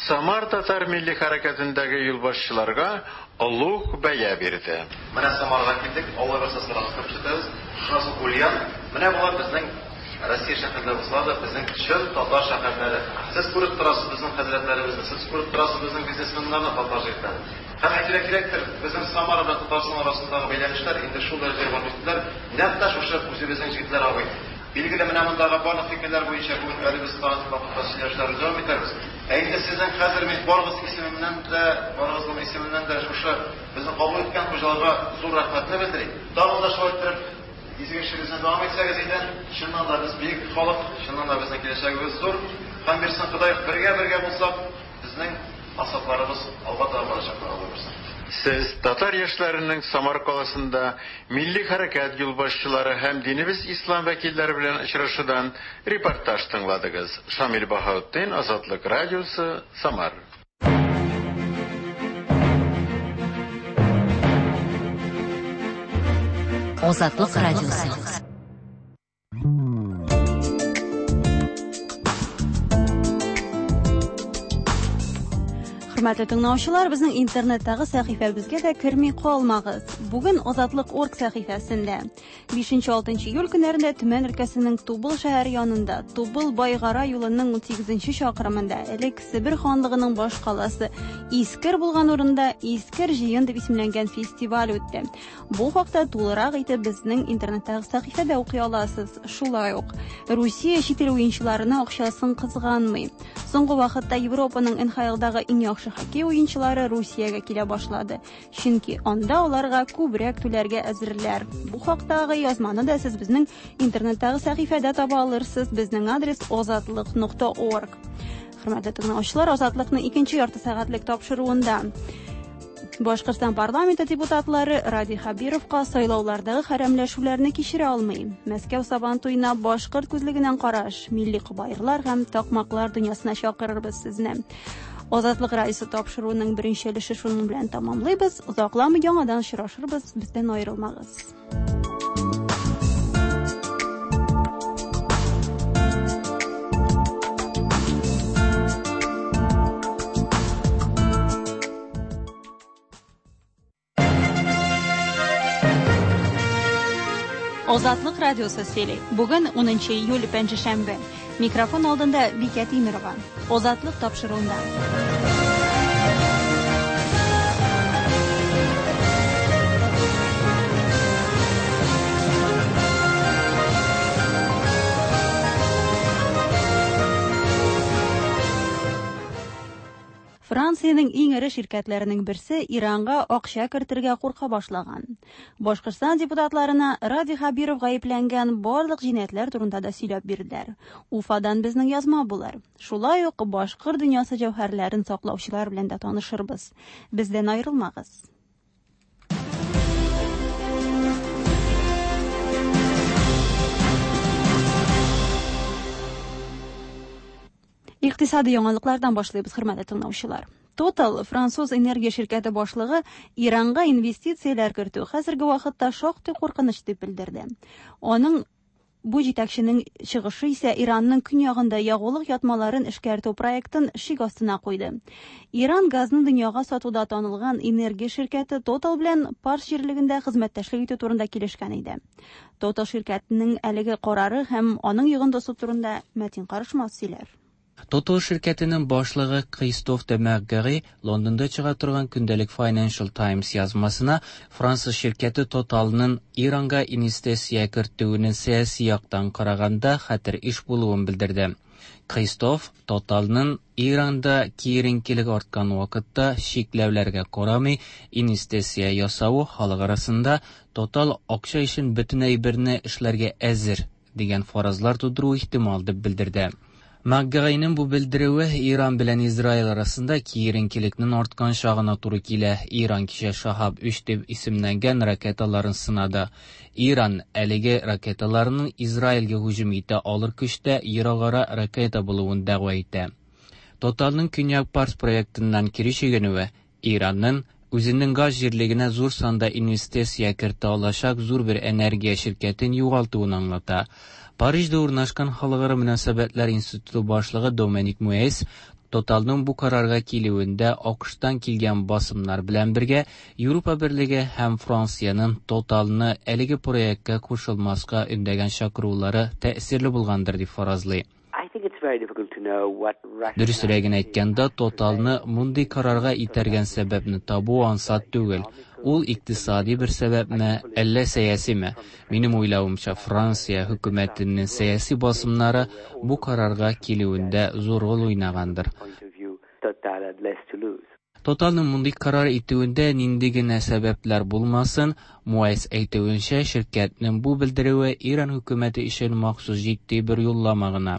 S19: Самар татар милли хәрәкәтендәге юлбашчыларга олуг бәя бирде.
S21: Менә Самарга килдек, Алла бирсә Саратовка күчәбез. Шуннан соң Ульян. Менә болар безнең Россия шәһәрләре булса да, безнең чын татар шәһәрләре. Сез күреп торасыз безнең хәзрәтләребезне, сез күреп торасыз безнең бизнесменнарны, татар җегетләрен. Һәм әйтергә кирәктер, безнең Самара белән Татарстан арасындагы бәйләнешләр инде шул дәрәҗәгә барып җиттеләр. Нәкъ тә шушы үзебезнең җегетләр абый. Билгеле, менә мондагы барлык фикерләр буенча бүген әле без тагын вакытта сөйләшүләрне дәвам итәрбез. Ә инде сезнең хәзер мин барыгыз исеменнән дә, барыгызның исеменнән дә шушы безне кабул иткән хуҗаларга зур рәхмәтне белдерик. Тагын да шулай иттереп изге эшегезне дәвам итсәгез иде, чыннан да без бөек халык, чыннан да безнең киләчәгебез зур. Һәм бирсен Ходай, бергә-бергә булсак, безнең максатларыбыз алга таба барачак, Алла бирсен.
S19: Сез татар яшьләренең Самар каласында милли хәрәкәт юлбашчылары һәм динебез ислам вәкилләре белән очрашудан репортаж тыңладыгыз. Шамил Баһаутдин, Азатлык радиосы, Самар.
S10: Азатлык радиосы.
S1: Хөрмәтле тыңлаучылар, безнең интернеттагы сәхифәбезгә дә керми калмагыз. Бүген Азатлык орг сәхифәсендә бишенче-алтынчы июль көннәрендә Төмән өлкәсенең Тубыл шәһәре янында Тубыл Байгара юлының унсигезенче чакрымында элек Себер ханлыгының баш каласы Искер булган урында Искер җыен дип исемләнгән фестиваль үтте. Бу хакта тулырак итеп безнең интернеттагы сәхифәдә укый аласыз. Шулай ук Русия чит ил уенчыларына акчасын кызганмый. Соңгы вакытта Европаның Н Х Л-дагы иң яхшы яхшы хоккей уенчылары Русиягә килә башлады. Чөнки анда аларга күбрәк түләргә әзерләр. Бу хактагы язманы да сез безнең интернеттагы сәхифәдә таба алырсыз. Безнең адрес озатлык нокта орг. Хөрмәтле тыңлаучылар, Азатлыкның икенче ярты сәгатьлек тапшыруында Башкортстан парламенты депутатлары Радий Хәбировка сайлаулардагы хәрәмләшүләрне кичерә алмый. Мәскәү Сабан туена башкорт күзлегеннән караш, милли кобаерлар һәм такмаклар дөньясына чакырырбыз сезне. Азатлык радиосы тапшыруының беренче өлеше шуның белән тамамлыйбыз. Озакламый яңадан очрашырбыз, бездән аерылмагыз. Азатлык радиосы сөйли. Бүген унынчы июль пәнҗешәмбе. Микрофон алдында Бикә Тимирова. Азатлык тапшыруында. Франциянең иң эре ширкәтләренең берсе Иранга акча кертергә курка башлаган. Башкортстан депутатларына Радий Хәбиров гаепләнгән барлык җинаятьләр турында да сөйләп бирделәр. Уфадан безнең язма булыр. Шулай ук башкорт дөньясы җәүһәрләрен саклаучылар белән дә танышырбыз. Бездән аерылмагыз. Икътисади яңалыклардан башлыйбыз, хөрмәтле тыңлаучылар. Total француз энергия ширкәте башлыгы Иранга инвестицияләр кертү хәзерге вакытта шактый куркыныч дип белдерде. Аның бу җитәкченең чыгышы исә Иранның көньягында ягулык ятмаларын эшкәртү проектын шик астына куйды. Иран газны дөньяга сатуда танылган энергия ширкәте Total белән Парс җирлегендә хезмәттәшлек итү турында килешкән иде. Total ширкәтенең әлеге карары һәм аның йогынтысы турында Мәтин Карышмас сөйләр.
S2: Total ширкәтенең башлыгы Кристоф де Мәргәри Лондонда чыга торган көндәлек Financial Times язмасына Француз ширкәте Totalның Иранга инвестиция кертүенең сәяси яктан караганда хәтер эш булуын белдерде. Кристоф Totalның Иранда киеренкелек арткан вакытта чикләүләргә карамый инвестиция ясавы халык арасында Total акча өчен бөтен әйберне эшләргә әзер дигән фаразлар тудыру ихтимал дип белдерде. Макгайның бу белдерүе Иран белән Израиль арасында киеренкелекнең арткан чагына туры килә. Иран кичә Шахаб өч дип исемләнгән ракеталарын сынады. Иран әлеге ракеталарының Израильгә һөҗүм итә алыр көчтә еракара ракета булуын дәгъва итә. Totalның Көньяк Парс проектыннан кире чигенүе Иранның үзенең газ җирлегенә зур санда инвестиция кертә алачак зур бер энергия ширкәтен югалтуын аңлата. Парижда урнашкан Халыкара мөнәсәбәтләр институты башлыгы Доменик Муэс Totalның бу карарга килүендә АКШтан килгән басымнар белән бергә Европа Берлеге һәм Франциянең Totalны әлеге проектка кушылмаска өндәгән чакырулары тәэсирле булгандыр дип фаразлый. Дөресрәген әйткәндә, Totalны мондый карарга итәргән сәбәпне табу ансат түгел. Ул икътисади бер сәбәпме, әллә сәясиме? Минем уйлавымча, Франция хөкүмәтенең сәяси басымнары бу карарга килүендә зур роль уйнагандыр. Totalның мондый карар итүендә нинди генә сәбәпләр булмасын, Муэс әйтүенчә, ширкәтнең бу белдерүе Иран хөкүмәте өчен махсус җитди бер юллама гына.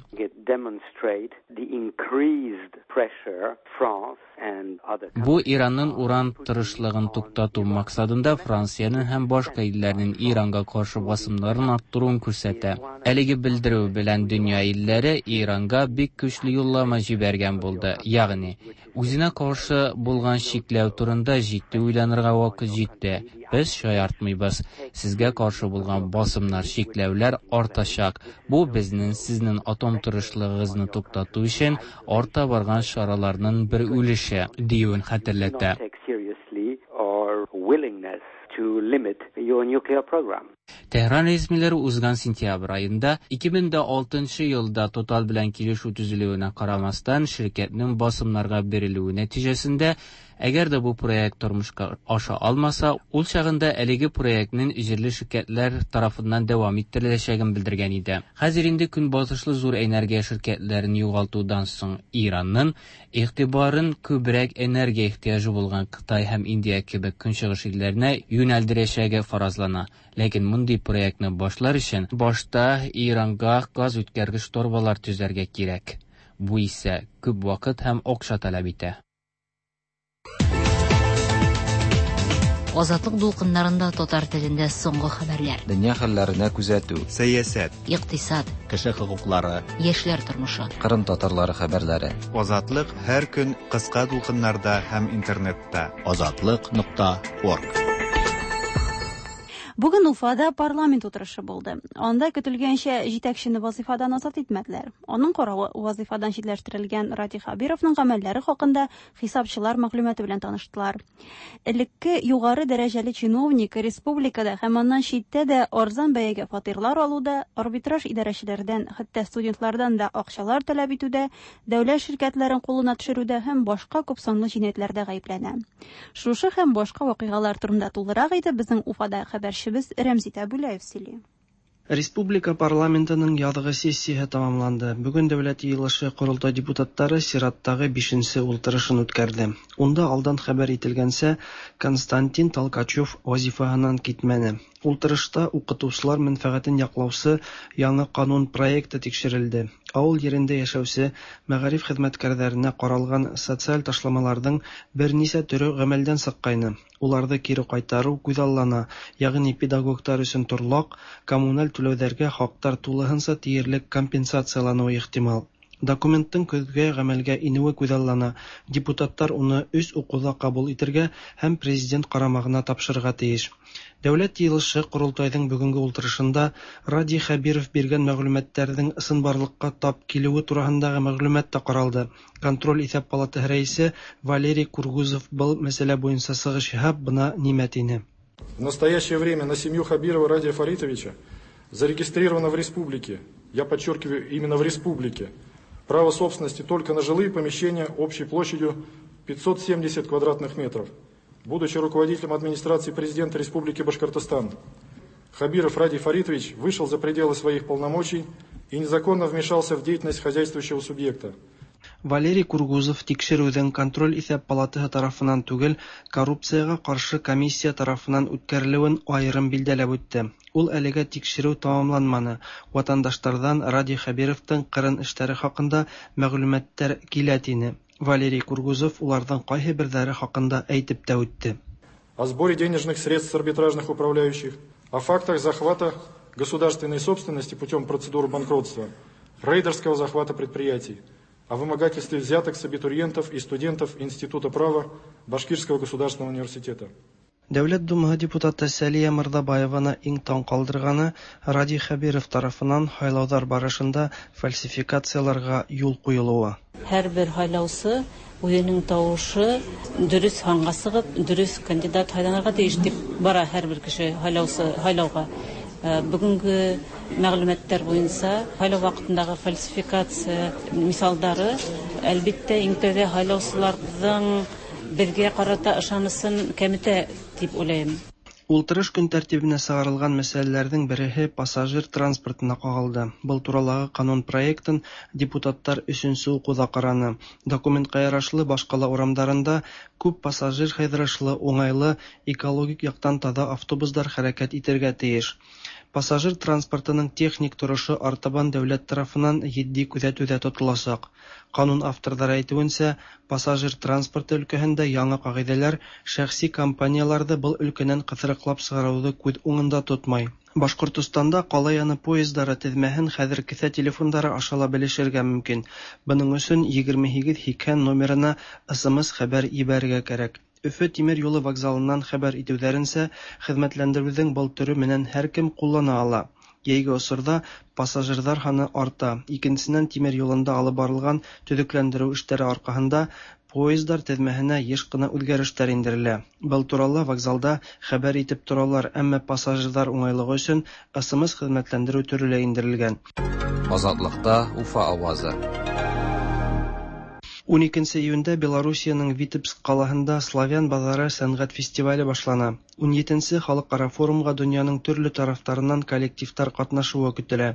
S2: Бу Иранның уран тырышлыгын туктату максатында Франциянең һәм башка илләрнең Иранга каршы басымнарын арттыруын күрсәтә. Әлеге белдерү белән дөнья илләре Иранга бик көчле юллама җибәргән булды. Ягъни, үзенә каршы булган чикләү турында җитди уйланырга вакыт җитте. Без шаяртмыйбыз. Сезгә каршы булган басымнар, чикләүләр артачак. Бу безнең сезнең атом тырышлыгыгызны туктату өчен арта барган чараларның бер өлеше диюен хәтерләтә. Тәһран рәсмиләре узган сентябрь аенда ике мең дә алтынчы елда Total белән килешү төзелүенә карамастан, ширкәтнең басымнарга бирелүе нәтиҗәсендә Әгәр дә бу проект тормышка аша алмаса, ул чагында әлеге проектның җирле ширкәтләр тарафыннан дәвам иттереләчәген белдергән иде. Хәзер инде көнбатышлы зур энергия ширкәтләрен югалтудан соң Иранның игътибарын күбрәк энергия ихтыяҗы булган Кытай һәм Индия кебек көнчыгыш илләренә юнәлдерәчәге фаразлана. Ләкин мондый проектны башлар өчен башта Иранга газ үткәргеч торбалар төзергә кирәк. Бу исә күп вакыт һәм акча таләп итә.
S4: Азатлык дулкыннарында татар телендә соңгы хәбәрләр.
S22: Дөнья хәлләренә күзәтү.
S3: Сәясәт.
S4: Икътисад.
S22: Кеше хокуклары.
S4: Яшьләр тормышы.
S22: Кырым татарлары хәбәрләре.
S3: Азатлык һәр көн кыска дулкыннарда һәм интернетта.
S22: Азатлык нокта орг.
S1: Бүген Уфада парламент утырышы булды. Анда көтелгәнчә җитәкчене вазифадан азат итмәделәр. Аның каравы вазифадан читләштерелгән Радий Хәбировның гамәлләре хакында хисапчылар мәгълүматы белән таныштылар. Элекке югары дәрәҗәле чиновник республикада һәм аннан читтә дә арзан бәягә фатирлар алуда, арбитраж идарәчеләрдән, хәтта студентлардан да акчалар таләп итүдә, дәүләт ширкәтләрен кулына төшерүдә һәм башка күп санлы җинаятьләрдә гаепләнә. Шушы һәм башка вакыйгалар турында тулырак итеп безнең Уфада хәбәрче Без Рәмзи Тәбүләев сөйли.
S23: Республика парламентының язгы сессияһы тамамланды. Бүген Дәүләт йыйылышы Корылтай депутатлары чираттагы бишенче ултырышын үткәрде. Унда алдан хәбәр ителгәнчә, Константин Толкачев вазифаһынан китмәне. Ултырышта укытучылар мәнфәгатен яклаучы яңа канун проекты тикшерелде. Авыл ерендә яшәүче мәгариф хезмәткәрләренә каралган социаль ташламаларның берничә төре гамәлдән чыккайны. Уларны кире кайтару күзаллана, ягъни педагоглар өчен торлак, коммуналь түләүләргә хаклар тулыһынча тиярлек компенсациялануы ихтимал. Документтың көзгә гамәлгә инүе күзаллана. Депутатлар уны өч укуда кабул итергә һәм президент карамагына тапшырырга тиеш. Дәүләт йыйылышы Корылтайның бүгенге ултырышында Радий Хәбиров биргән мәгълүматларның ысынбарлыкка тап килүе турасындагы мәгълүмат та каралды. Контроль исәп палаты рәисе Валерий Кургузов был мәсьәлә буенча чыгыш ясап, бына нимә тине.
S18: В настоящее время на семью Хабирова Радия Фаритовича зарегистрировано в республике, я подчеркиваю, именно в республике, право собственности только на жилые помещения общей площадью пятьсот семьдесят квадратных метров. Будучи руководителем администрации президента Республики Башкортостан, Хабиров Радий Фаритович вышел за пределы своих полномочий и незаконно вмешался в деятельность хозяйствующего субъекта.
S23: Валерий Кургузов тикшерүҙең контроль иҫәп палатаһы тарафынан түгел, коррупцияға ҡаршы комиссия тарафынан үткәрелеүен айырым билдәләп үтте. Ул әлегә тикшереү тамамланманы. Ватандаштарҙан Радий Хәбировтың ҡырын эштәре хаҡында мәғлүмәттәр килә тине. Валерий Кургузов уларҙың ҡайһы берҙәре хаҡында әйтеп тә үтте.
S18: О сборе денежных средств с арбитражных управляющих, о фактах захвата государственной собственности путем процедуры банкротства, рейдерского захвата предприятий, о вымогательстве взяток с абитуриентов и студентов Института права Башкирского государственного университета.
S23: Дәүләт Думаһы депутаты Сәлия Мырҙабаеваны иң таң ҡалдырғаны Радий Хәбиров тарафынан һайлауҙар барышында фальсификацияларға юл ҡуйылыуы.
S24: Һәр бер һайлаусы үҙенең тауышы дөрөҫ һанға сығып, дөрөҫ кандидат һайланырға тейеш тип бара һәр бер кеше һайлаусы һайлауға. Бөгөнгө мәғлүмәттәр буйынса һайлау ваҡытындағы фальсификация миҫалдары әлбиттә иң тәүҙә һайлаусыларҙың беҙгә ҡарата ышанысын кәметә тип уйлайым.
S23: Ултырыш көн тәртибенә сығарылған мәсьәләләрҙең береһе пассажир транспортына ҡағылды. Был туралағы ҡанун проектын депутаттар өсөнсө уҡыуҙа ҡараны. Документҡа ярашлы баш ҡала урамдарында күп пассажир һыйҙырышлы, уңайлы, экологик яҡтан таҙа автобустар хәрәкәт итергә тейеш. Пассажир транспортының техник торошо артабан дәүләт тарафынан етди күҙәтеүҙә тотоласаҡ. Ҡанун авторҙары әйтеүенсә, пассажир транспорты өлкәһендә яңы ҡағиҙәләр шәхси компанияларҙы был өлкәнән ҡыҫырыҡлап сығарыуҙы күҙ уңында тотмай. Башҡортостанда ҡала яны поездары теҙмәһен хәҙер кеҫә телефондары аша ла белешергә мөмкин. Бының өсөн егерме һигеҙ һикһән номерына эс эм эс хәбәр ебәрергә кәрәк. Өфө тимер юлы вокзалынан хәбәр итеүҙәренсә, хеҙмәтләндереүҙең был төрө менән һәр кем ҡуллана ала. Йәйге осорҙа пассажирҙар һаны арта. Икенсенән, тимер юлында алып барылған төҙөкләндереү эштәре арҡаһында поездар теҙмәһенә йыш ҡына үҙгәрештәр индерелә. Был турала вокзалда хәбәр итеп торалар, әммә пассажирҙар уңайлығы өсөн эс эм эс хеҙмәтләндереү төрө лә индерелгән.
S22: Азатлыҡта Уфа ауазы.
S23: Уникенсе июндә Белоруссиянең Витебск ҡалаһында Славян баҙары сәнғәт фестивале башлана. Ун етенсе халыҡ-ара форумға донъяның төрлө тарафтарынан коллективтар ҡатнашыуы көтөлә.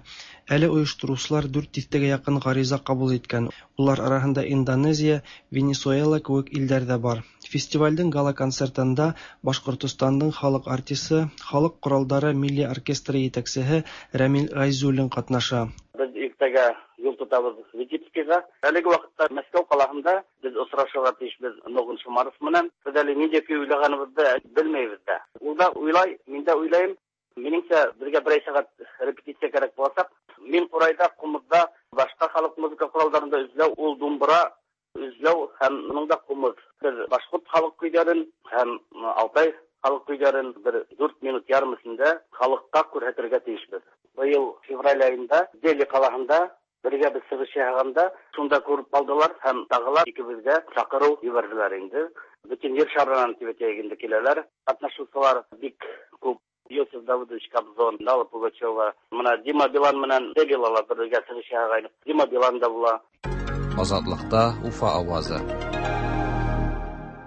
S23: Әле ойоштороусылар дүрт тиҫтәгә яҡын ғариза ҡабул иткән. Улар араһында Индонезия, Венесуэла кеүек илдәр ҙә бар. Фестивалдең гала-концертында Башҡортостандың халыҡ артисы, халыҡ ҡоралдары милли оркестры етәксеһе Рәмил Ғәйзуллин ҡатнаша.
S5: Беҙ иртәгә юл тотабыҙ Витебскиға. Әлеге ваҡытта Мәскәү ҡалаһында беҙ осрашырға тейешбеҙ Ногун Шумаров менән. Беҙ әле ниндәй көй уйлағаныбыҙҙы белмәйбеҙ ҙә. Ул да уйлай, мин дә уйлайым. Минеңсә, беҙгә берәй сәғәт репетиция кәрәк буласаҡ. Мин ҡурайҙа, ҡумыҙҙа, башҡа халыҡ музыка ҡоралдарында эҙләү, ул думбыра эҙләү һәм уның да ҡумыҙ. Беҙ башҡорт халыҡ көйҙәрен һәм алтай халыҡ көйҙәрен бер дүрт минут ярым эсендә халыҡҡа күрһәтергә тейешбеҙ. Быйыл февраль айында Дели ҡалаһында бергә беҙ сығыш яһағанда шунда күреп алдылар һәм тағы ла икебеҙгә саҡырыу ебәрҙеләр инде. Бөтөн ер шарынан тип әйтәйек инде киләләр. Ҡатнашыусылар бик күп. Иосиф Давыдович Кобзон, Алла Пугачева, мына Дима Билан менән Делила ла бергә сығыш яһағайныҡ. Дима Билан да була.
S22: Азатлыҡта Уфа ауазы.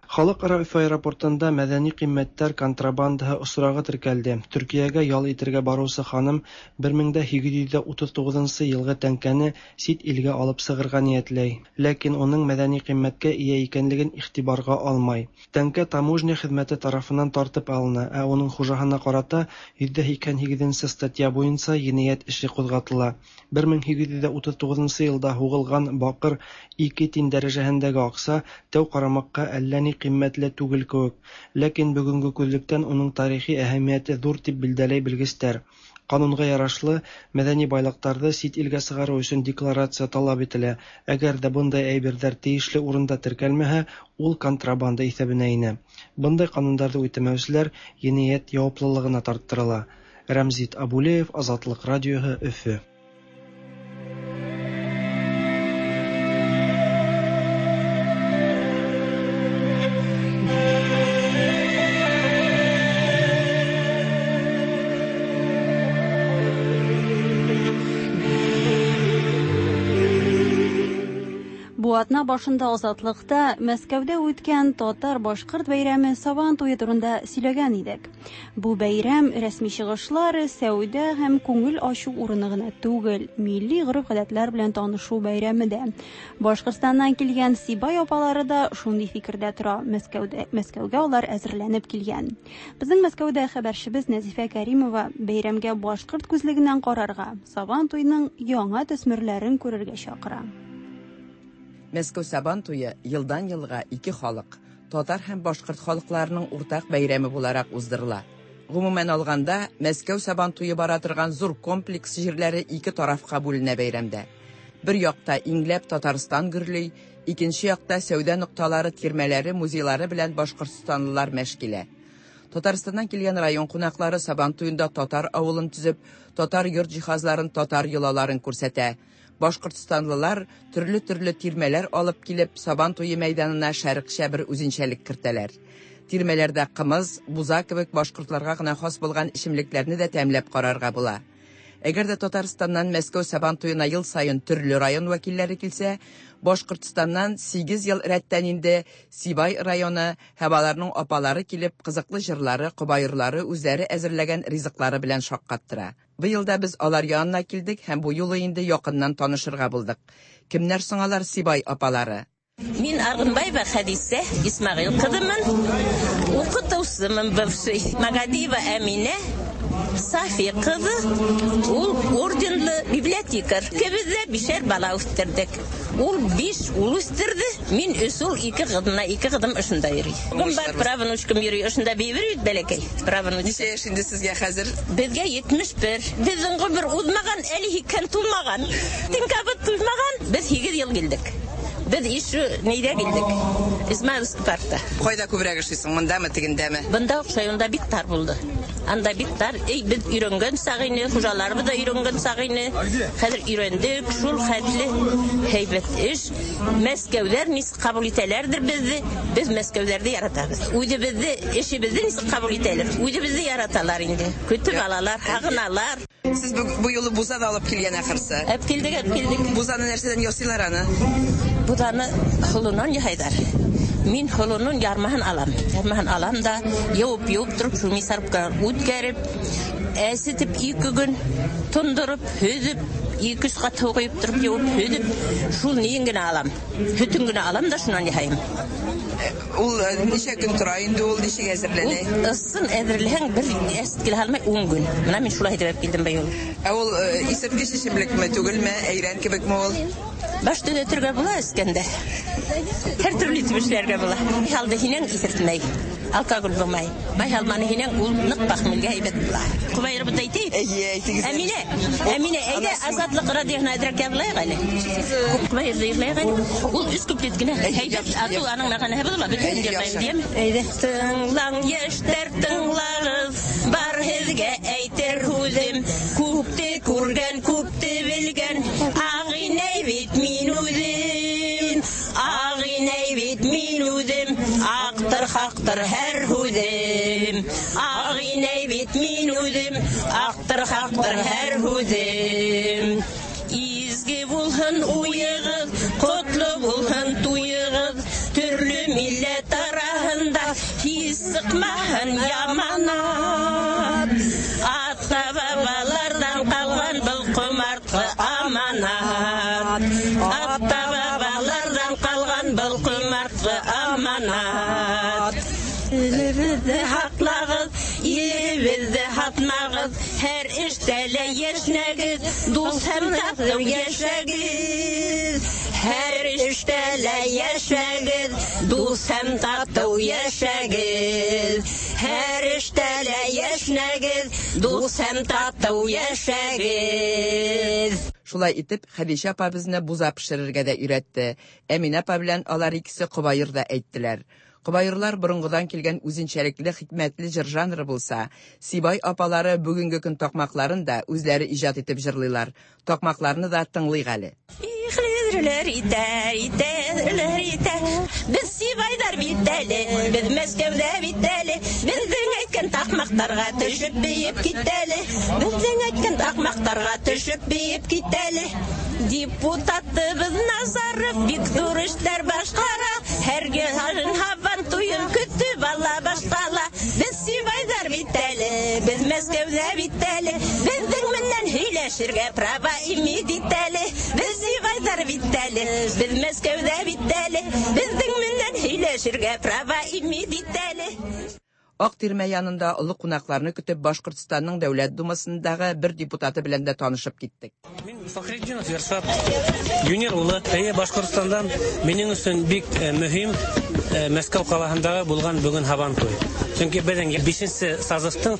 S23: Халыҡ-ара Өфө аэропортында мәҙәни ҡиммәттәр контрабандаһы осрағы теркәлде. Төркиәгә ял итергә барыусы ханым бер мең дә һигеҙ йөҙ утыҙ туғыҙынсы йылғы тәңкәне сит илгә алып сығырға ниәтләй. Ләкин уның мәҙәни ҡиммәткә эйә икәнлеген иғтибарға алмай. Тәңкә таможня хеҙмәте тарафынан тартып алына, ә уның хужаһына ҡарата йөҙ ҙә һикһән һигеҙенсе статья буйынса енәйәт эше ҡуҙғатыла. бер мең һигеҙ йөҙ утыҙ туғыҙынсы йылда һуғылған баҡыр ике тин дәрәжәһендәге аҡса тәү ҡарамаҡҡа әллә ни ҡиммәтле түгел кеүек, ләкин бөгөнгө күҙлектән уның тарихи әһәмиәте ҙур тип билдәләй белгестәр. Ҡанунға ярашлы, мәҙәни байлыҡтарҙы сит илгә сығарыу өсөн декларация талап ителә. Әгәр ҙә бындай әйберҙәр тейешле урында теркәлмәһә, ул контрабанда иҫәбенә инә. Бындай ҡанундарҙы үтәмәүселәр енәйәт яуаплылығына тарттырыла. Рәмзит Абулеев, Азатлыҡ радиоһы, Өфө.
S1: Бу атна башында Азатлыҡта Мәскәүҙә үткән татар-башҡорт бәйрәме Сабан туйы турында сөйләгән идек. Бу бәйрәм рәсми чыгышлар, сәүдә һәм күңел ачу урыны гына түгел, милли гореф-гадәтләр белән танышу бәйрәме дә. Башҡортостаннан килгән Сибай апалары да шундый фикердә тора. Мәскәүҙә, Мәскәүгә улар әзерләнеп килгән. Безнең Мәскәүҙә хәбәрчебез Нәзифә Кәримова бәйрәмгә башҡорт күзлегеннән карарга, Сабан туйының яңа төсмөрләрен күрергә чакыра.
S8: Мәскәү Сабан туйы йылдан йылға ике халыҡ, татар һәм башҡорт халыҡларының уртаҡ бәйрәме булараҡ уҙҙырыла. Ғөмүмән алғанда, Мәскәү Сабан туйы бара торған ҙур комплекс ерләре ике тарафҡа бүленә бәйрәмдә. Бер яҡта иңләп Татарстан гөрләй, икенсе яҡта сәүҙә ноҡталары, тирмәләре, музейлары белән башҡортостанлылар мәш килә. Татарстандан килгән район ҡунаҡлары Сабан туйында татар ауылын төҙөп, татар йорт жиһазларын, татар йолаларын күрһәтә. Башҡортостанлылар төрлө-төрлө тирмәләр алып килеп, Сабан туйы мәйҙанына шәрыҡсә бер үҙенсәлек кертәләр. Тирмәләрҙә ҡымыҙ, буза кеүек башҡортларға ғына хас булған эсемлектәрҙе ҙә тәмләп ҡарарға була. Әгәр ҙә Татарстандан Мәскәү Сабан туйына йыл сайын төрлө район вәкилдәре килсә, Башҡортостандан һигеҙ йыл рәттән инде Сибай районы һәм аларның апалары килеп, ҡыҙыҡлы йырлары, ҡобайырлары, үҙҙәре әҙерләгән ризыҡлары белән шаҡҡаттыра. Быйыл да беҙ алар янына килдек һәм бу юлы инде яҡыннан танышырға булдыҡ. Кемдәр соң алар Сибай апалары?
S9: Мин Арғынбаева Хәдисә Исмәғил ҡыҙымын, уҡытыусымын бывший. Магадиева Әминә Сафи ҡыҙы, ул орденлы библиотекарь. Икебеҙ ҙә бишәр бала үҫтерҙек. Ул биш ул үҫтерҙе, мин өс ул, ике ҡыҙына, ике ҡыҙым ошонда йөрөй. Бөгөн бар правнучкам йөрөй, ошонда бейебер бит бәләкәй правнучка.
S8: Нисә йәш инде һеҙгә хәҙер?
S9: Беҙгә етмеш бер. Беҙҙең ғүмер уҙмаған, әле һикһән тулмаған. Тинкабыт туймаған. Беҙ һигеҙ йыл килдек. Беҙ ишу нейҙә килдек? Измайловский паркта.
S8: Ҡайҙа күберәк эшләйһең, мындамы, тегендәме?
S9: Бында оҡшай, унда бик тар булды. Анда бик тар. Эй, беҙ өйрәнгән саҡ ине, хужаларыбыҙ ҙа өйрәнгән саҡ ине. Хәҙер өйрәндек, шул хәтле һәйбәт эш. Мәскәүҙәр нисек ҡабул итәләрҙер беҙҙе, беҙ Мәскәүҙәрҙе яратабыҙ. Үҙебеҙҙе, эшебеҙҙе нисек ҡабул итәләр, үҙебеҙҙе яраталар инде. Көтөп алалар, һағыналар.
S8: Һеҙ был юлы буза ҙа алып килгән ахырсы.
S9: Әп килдек, әп килдек.
S8: Бузаны нәрсәҙән ясыйлар аны?
S9: Бузаны холонан яһайдар. Мин холонун ярмаһын алам. Ярмаһын алам да йыуып-йыуып тороп, шул мясорубка үткәреп, әсетеп ике көн тондырып, һөҙөп, ике өс ҡат һыу ҡойоп тороп, йыуып, һөҙөп, шул ниен генә алам. Һөтөн генә алам да шунан яһайым.
S8: Ул нисә көн тора инде, ул нисек әҙерләнә?
S9: Ул ысын әҙерләһәң, бер әсет килә алмай ун көн. Мына мин шулай итеп килдем быйыл.
S8: Ә ул исерткес эчемлекме түгелме, әйрән кебекме ул?
S9: Баш төҙәтергә була эскәндә. Һәр төрлө итеп эшләргә була. Май һинең исертмәй, алкоголь булмай. Май алманы һинең ул ныҡ пахмелгә һәйбәт була. Ҡобайыр бында әйтәйек.
S8: Эйе, әйтегеҙ.
S9: Әминә, Әминә, әйҙә Азатлыҡ радиоһына әҙерәк яҙлайыҡ әле. Ҡобайырҙы йырлайыҡ әле. Ул өс куплет кенә һәйбәт. Ату аның мәғәнәһе була, бөтөн йырлайым тием. Әйҙә. Тыңлаң, йәштәр, тыңлағыҙ, бар һеҙгә әйтер һүҙем. Күпте күргән, күпте белгән, ағинәй бит мин үҙем. Ағинәй бит мин үҙем, аҡтыр хаҡтыр һәр һүҙем. Ағинәй бит мин үҙем, аҡтыр хаҡтыр һәр һүҙем. Изге булһын уйығыҙ, ҡотло булһын туйығыҙ, төрлө милләт араһында һис сыҡмаһын яманат. Ата-бабаларҙан ҡалған был ҡомартҡы аманат. Ата-бабаларҙан ҡалған был ҡомартҡы аманат. Илебеҙҙе һаҡлағыҙ, илебеҙҙе һатмағыҙ, һәр эштә лә йәшнәгеҙ, дуҫ һәм татыу йәшәгеҙ. Һәр эштә лә йәшәгеҙ, дуҫ һәм татыу йәшәгеҙ. Һәр эштә лә йәшнәгеҙ, дуҫ һәм татыу йәшәгеҙ.
S8: Шулай итеп, Хәдичә апа безне буза пешерергә дә өйрәтте. Әминә апа белән алар икесе ҡобайыр ҙа әйттеләр. Ҡобайырлар боронғоҙан килгән үҙенсәлекле хикмәтле жыр жанры булса, Сибай апалары бөгөнгө көн таҡмаҡларын да үҙләре ижад итеп жырлыйлар. Таҡмаҡларны да тыңлыйыҡ әле.
S9: Итә, итә, итә. Беҙ Сибайҙар бит әле, беҙ Мәскәүҙә бит әле, беҙҙең әйткән таҡмаҡтарға төшөп бейеп китәле, беҙҙең әйткән таҡмаҡтарға төшөп бейеп китәле. Депутатыбыҙ Назаров бик ҙур эштәр башҡара, һәр йылын һабан туйын көтөп ала башҡала. Беҙ Сибайҙар бит әле, беҙ Мәскәүҙә бит әле, беҙҙең менән һөйләшергә права имеет итәле. Беҙ Сибайҙар бит әле, беҙ Мәскәүҙә бит әле, беҙҙең менән һөйләшергә права имеет итәле.
S8: Аҡ тирмә янында оло ҡунаҡларны көтөп Башҡортостандың Дәүләт Думаһындағы бер депутаты белән дә танышып киттек.
S6: Мин Фәхретдинов Ершат Юнир улы, әйе, Башҡортостандан. Минең өсөн бик мөһим Мәскәү ҡалаһындағы булған бөгөн һабантуй. Сөнки беҙҙең бишенсе созывтың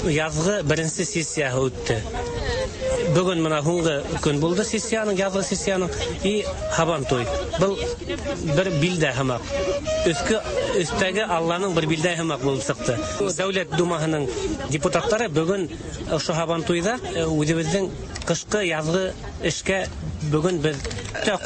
S6: яҙғы беренсе сессияһы үтте. Бөгөн мына һуңғы көн булды сессияның, яҙғы сессияның, и һабантуй. Был бер билдә һымаҡ. Өҫкө өҫтәге Алланың бер билдә һымаҡ булып сыҡты. Дәүләт Думаһының депутаттары бөгөн ошо һабантуйҙа үҙебеҙҙең ҡышҡы яҙғы эшкә бөгөн беҙ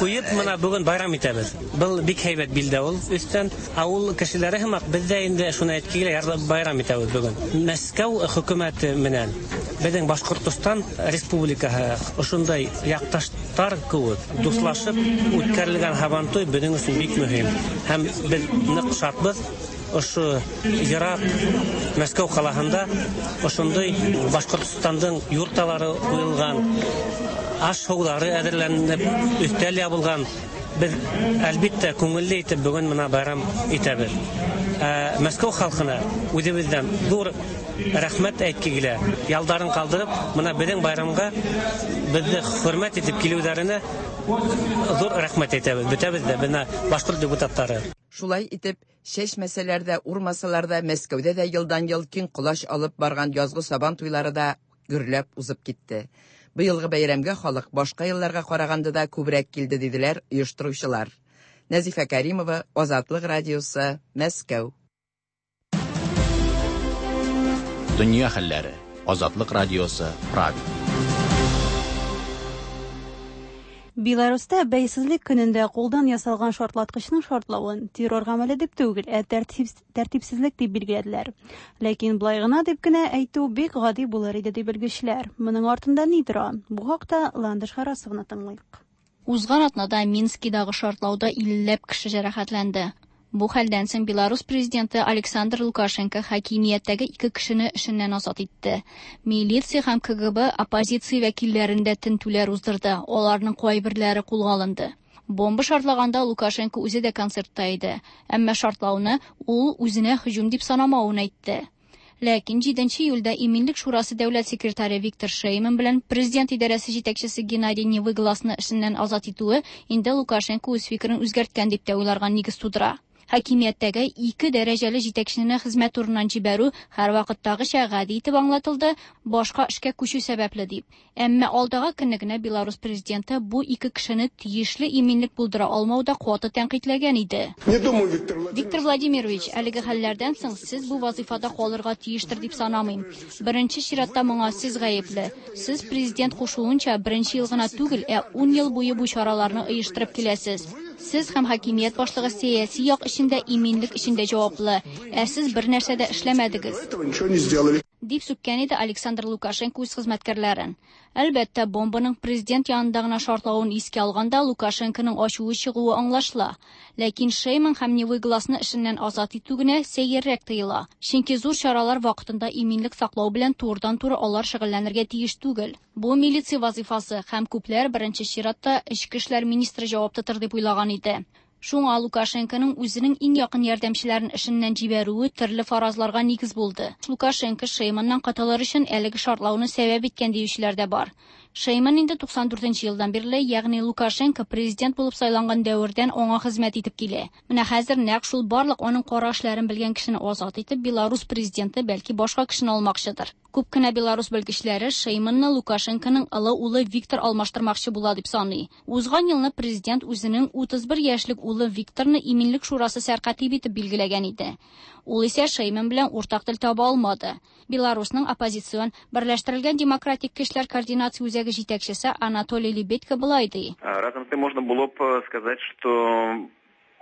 S6: ҡуйып мына бөгөн байрам итәбеҙ. Был бик һәйбәт билдә ул. Өҫтән ауыл кешеләре һымаҡ беҙ ҙә инде шуны әйтке килә, байрам итәбеҙ бөгөн. Мәскәү хөкүмәте менән беҙҙең Башҡортостан Республикаһы ошондай яҡташтар кеүек дуҫлашып үткәрелгән һабантуй беҙҙең өсөн бик мөһим. Һәм беҙ ныҡ шатбыҙ ошо йыраҡ Мәскәү ҡалаһында ошондай Башҡортостандың юрталары ҡуйылған, аш-һыуҙары әҙерләнеп, өҫтәл ябылған. Беҙ әлбиттә күңелле итеп бөгөн мына байрам итәбеҙ. Мәскәү халҡына үҙебеҙҙән ҙур рәхмәт әйтке килә. Ялдарын ҡалдырып, мына беҙҙең байрамға беҙҙе хөрмәт итеп килеүҙәренә ҙур рәхмәт әйтәбеҙ. Бөтәбеҙ ҙә бына башҡорт депутаттары.
S8: Шулай итеп, шәшмәсәләр ҙә, урмасалар ҙа, Мәскәүҙә ҙә йылдан-йыл киң ҡолас алып барған яҙғы сабан туйлары да гөрләп уҙып китте. Быйылғы бәйрәмгә халыҡ башҡа йылларға ҡарағанда да күберәк килде, диделәр ойоштороусылар. Нәзифә Кәримова, Азатлыҡ радиосы, Мәскәү.
S7: Дөнья хәлләре. Азатлыҡ радиосы, Прага.
S1: Беларуста бәйсезлек көнендә кулдан ясалган шартлаткычның шартлавын террор гамәле дип түгел, ә тәртипсезлек дип билгеләделәр. Ләкин былай гына дип кенә әйтү бик гади булыр иде дип белгечләр. Моның артында ни тора? Бу хакта Ландыш Харасовны тыңлыйк.
S14: Узган атнада Минскидагы шартлауда иллеләп кеше җәрәхәтләнде. Бу хәлдән соң Беларус президенты Александр Лукашенко хакимияттәге ике кешене эшеннән азат итте. Милиция һәм К Г Б оппозиция вәкилләрендә тентүләр уздырды. Аларның кайберләре кулга алынды. Бомба шартлаганда Лукашенко үзе дә концертта иде. Әмма шартлауны ул үзенә һөҗүм дип санамавын әйтте. Ләкин җиденче июльдә Иминлек шурасы дәүләт секретаре Виктор Шейман белән президент идарәсе җитәкчесе Геннадий Невыгласны эшеннән азат итүе инде Лукашенко үз фикерен үзгәрткән дип тә уйларга нигез тудыра. Хакимияттәге ике дәрәҗәле җитәкчене хезмәт урыннан җибәрү һәрвакыттагыча гади итеп аңлатылды, башка эшкә күчү сәбәпле дип. Әмма алдагы көнне генә Беларус президенты бу ике кешене тиешле иминлек булдыра алмауда каты тәнкыйтьләгән иде. Виктор Владимирович, әлеге хәлләрдән соң сез бу вазифада калырга тиештер дип санамыйм. Беренче чиратта моңа сез гаепле. Сез президент кушуынча беренче ел гына түгел, ә ун ел буе бу чараларны оештырып киләсез. Сез һәм хакимият башлыгы сәяси як эчендә иминлек эчендә җаваплы, ә сез бер нәрсә дә эшләмәдегез. Дип сүккән иде Александр Лукашенко үз хезмәткәрләрен. Әлбәттә, бомбаның президент янында гына шартлавын искә алганда Лукашенконың ачуы чыгуы аңлашыла. Ләкин Шейман һәм Невыгласны эшеннән азат итү генә сәеррәк тоела. Чөнки зур чаралар вакытында иминлек саклау белән турыдан-туры алар шөгыльләнергә тиеш түгел. Бу милиция вазифасы һәм күпләр беренче чиратта эчке эшләр министры җавап тотыр дип уйлаган иде. Шуңа Лукашенконың үзенең иң якын ярдәмчеләрен эшеннән җибәрүе төрле фаразларга нигез булды. Лукашенко Шейманнан котылыр өчен әлеге шартлауны сәбәп иткән диючеләр дә бар. Шейман инде туксан дүртенче елдан бирле, ягъни Лукашенко президент булып сайланган дәвердән аңа хезмәт итеп килә. Менә хәзер нәкъ шул барлык аның кара эшләрен белгән кешене азат итеп, Беларус президенты бәлки башка кешене алмакчыдыр. Күп кенә Беларус белгечләре Шейманны Лукашенконың олы улы Виктор алмаштырмакчы була дип саный. Узган елны президент үзенең утыз бер яшьлек улы Викторны Иминлек шурасы сәркатибе итеп билгеләгән иде. Ул исә Шейман белән уртак тел таба алмады. Беларусның оппозицион Берләштерелгән демократик көчләр координация үзәге җитәкчесе Анатолий Лебедько болай ди.
S17: Разом с тем можно было бы сказать, что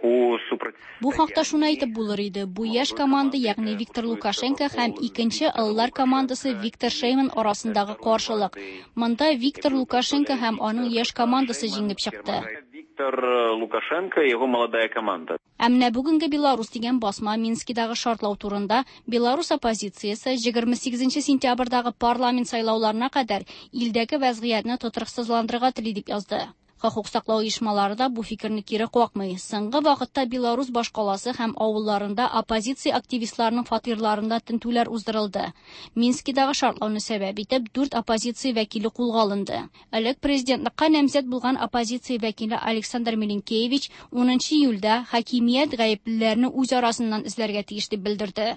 S14: Бу хакта шуны әйтеп булыр иде. Бу яшь команда, ягъни Виктор Лукашенко һәм икенче ыллар командасы Виктор Шейман арасындагы каршылык. Монда Виктор Лукашенко һәм аның яшь командасы җиңеп чыкты.
S17: Виктор Лукашенко и его молодая команда.
S14: Ә менә бүгенге Беларус дигән басма Минскидагы шартлау турында Беларус оппозициясе егерме сигезенче сентябрьдәге парламент сайлауларына кадәр илдәге вәзгыятьне тотрыксызландырырга тели дип язды. Хокук саклау оешмалары да бу фикерне кире какмый. Соңгы вакытта Беларус башкаласы һәм авылларында оппозиция активистларының фатирларында тентүләр уздырылды. Минскидагы шартлауны сәбәп итеп дүрт оппозиция вәкиле кулга алынды. Элек президентлыкка намзәт булган оппозиция вәкиле Александр Милинкевич унынчы июльдә хакимият гаеплеләрне үз арасыннан эзләргә тиеш дип белдерде.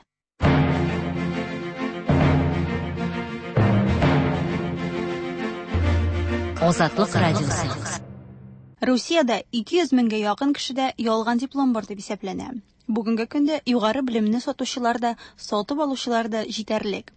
S4: Азатлык радиосы.
S1: Русиядә ике йөз меңгә якын кешедә ялган диплом бар дип исәпләнә. Бүгенге көндә югары белемне сатучылар да, сатып алучылар да җитәрлек.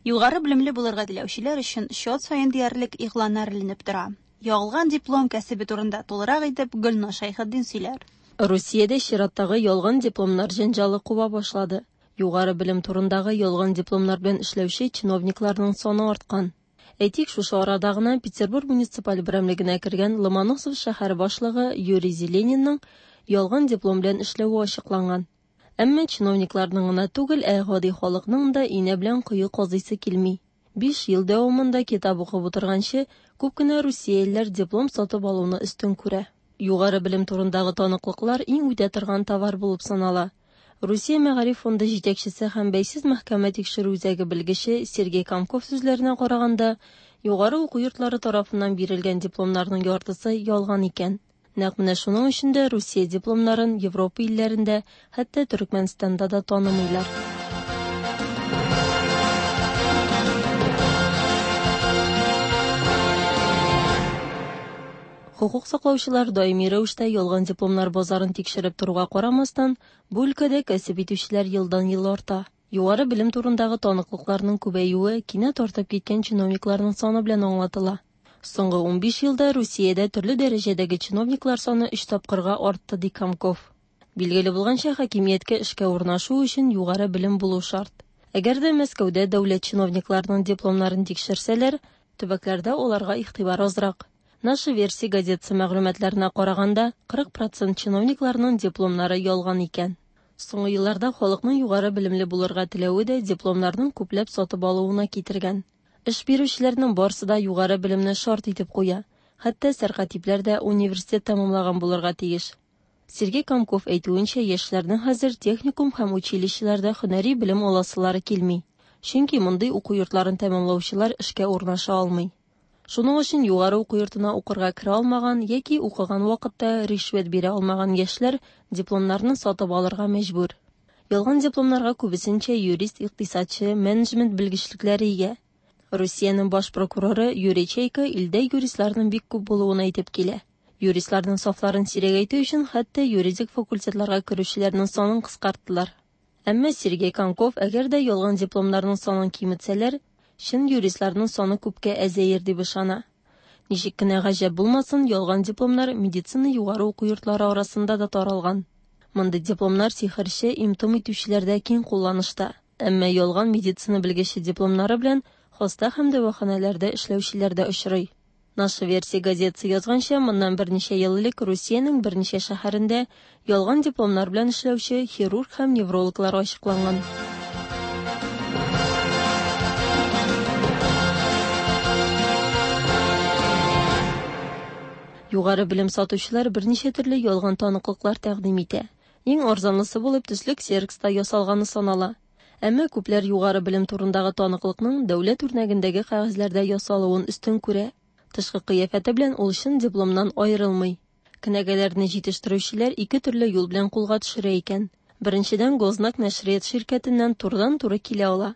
S1: Югары белемле булырга теләүчеләр өчен счет саен диярлек игъланнар эленеп тора. Ялган диплом кәсебе турында тулырак итеп Гөлназ Шәйхетдин сөйләр.
S11: Русиядә чираттагы ялган дипломнар җәнҗалы куба башлады. Югары белем турындагы ялган дипломнар белән эшләүче чиновникларның саны арткан. Әйтик, шушы арада гына Петербург муниципаль берәмлегенә кергән Ломоносов шәһәре башлыгы Юрий Зеленинның ялган диплом белән эшләве ачыкланган. Әмма чиновникларның гына түгел, ә гади халыкның да инә белән кое казыйсы килми. Биш ел дәвамында китап укып утырганчы, күп кенә русиялеләр диплом сатып алуны өстен күрә. Югары белем турындагы таныклыклар иң үтә торган товар булып санала. Русия Мәгариф фонды җитәкчесе һәм бәйсез мәхкәмә тикшерү үзәге белгече Сергей Комков сүзләренә караганда, югары уку йортлары тарафыннан бирелгән дипломнарның яртысы ялган икән. Нәкъ менә шуның өчен дә Русия дипломнарын Европа илләрендә, хәтта Төркмәнстанда да танымыйлар. Хокук саклаучылар даими рәвештә ялган дипломнар базарын тикшереп торуга карамастан, бу өлкәдә кәсеп итүчеләр елдан-ел арта. Югары белем турындагы таныклыкларның күбәюе кинәт артып киткән чиновникларның саны белән аңлатыла. Соңгы унбиш елда Русиядә төрле дәрәҗәдәге чиновниклар саны өч тапкырга артты, ди Комков. Билгеле булганча, хакимияткә эшкә урнашу өчен югары белем булу шарт. Әгәр дә Мәскәүдә дәүләт чиновникларының дипломнарын тикшерсәләр, төбәкләрдә аларга игътибар азрак. Наша версия газетасы мәгълүматларына караганда, кырык процент чиновникларның дипломнары ялган икән. Соңгы елларда халыкның югары белемле булырга теләве дә дипломнарның күпләп сатып алуына китергән. Эш бирүчеләрнең барсы да югары белемне шарт итеп куя. Хәтта сәркатипләр дә университет тәмамлаган булырга тиеш. Сергей Комков әйтүенчә, яшьләрнең хәзер техникум һәм училищеларда һөнәри белем аласылары килми. Чөнки мондый уку йортларын тәмамлаучылар эшкә урнаша алмый. Шуның өчен югары уку йортына укырга керә алмаган яки укыган вакытта ришвәт бирә алмаган яшьләр дипломнарны сатып алырга мәҗбүр. Ялган дипломнарга күбесенчә юрист, икътисадчы, менеджмент белгечлекләре ия. Русиянең баш прокуроры Юрий Чайка илдә юристларның бик күп булуын әйтеп килә. Юристларның сафларын сирәгәйтү өчен хәтта юридик факультетларга керүчеләрнең санын кыскарттылар. Әмма Сергей Комков, әгәр дә ялган дипломнарның санын киметсәләр, чын юристларның саны күпкә әзәер дип ышана. Ничек кенә гаҗәп булмасын, ялган дипломнар медицина югары уку йортлары арасында да таралган. Мондый дипломнар сихерче, им-том итүчеләрдә киң кулланышта. Әмма ялган медицина белгече дипломнары белән хаста һәм дәваханәләрдә эшләүчеләр дә очрый. Наша версия газетасы язганча, моннан берничә ел элек Русиянең берничә шәһәрендә ялган дипломнар белән эшләүче хирург һәм неврологлар ачыкланган. Югары белем сатучылар берничә төрле ялган таныклыклар тәкъдим итә. Иң арзанлысы булып төслек ксерокста ясалганы санала. Әмма күпләр югары белем турындагы таныклыкның дәүләт үрнәгендәге кәгазьләрдә ясалуын өстен күрә. Тышкы кыяфәте белән ул чын дипломнан аерылмый. Кенәгәләрне җитештерүчеләр ике төрле юл белән кулга төшерә икән. Беренчедән, Гознак нәшрият ширкәтеннән турыдан-туры килә ала.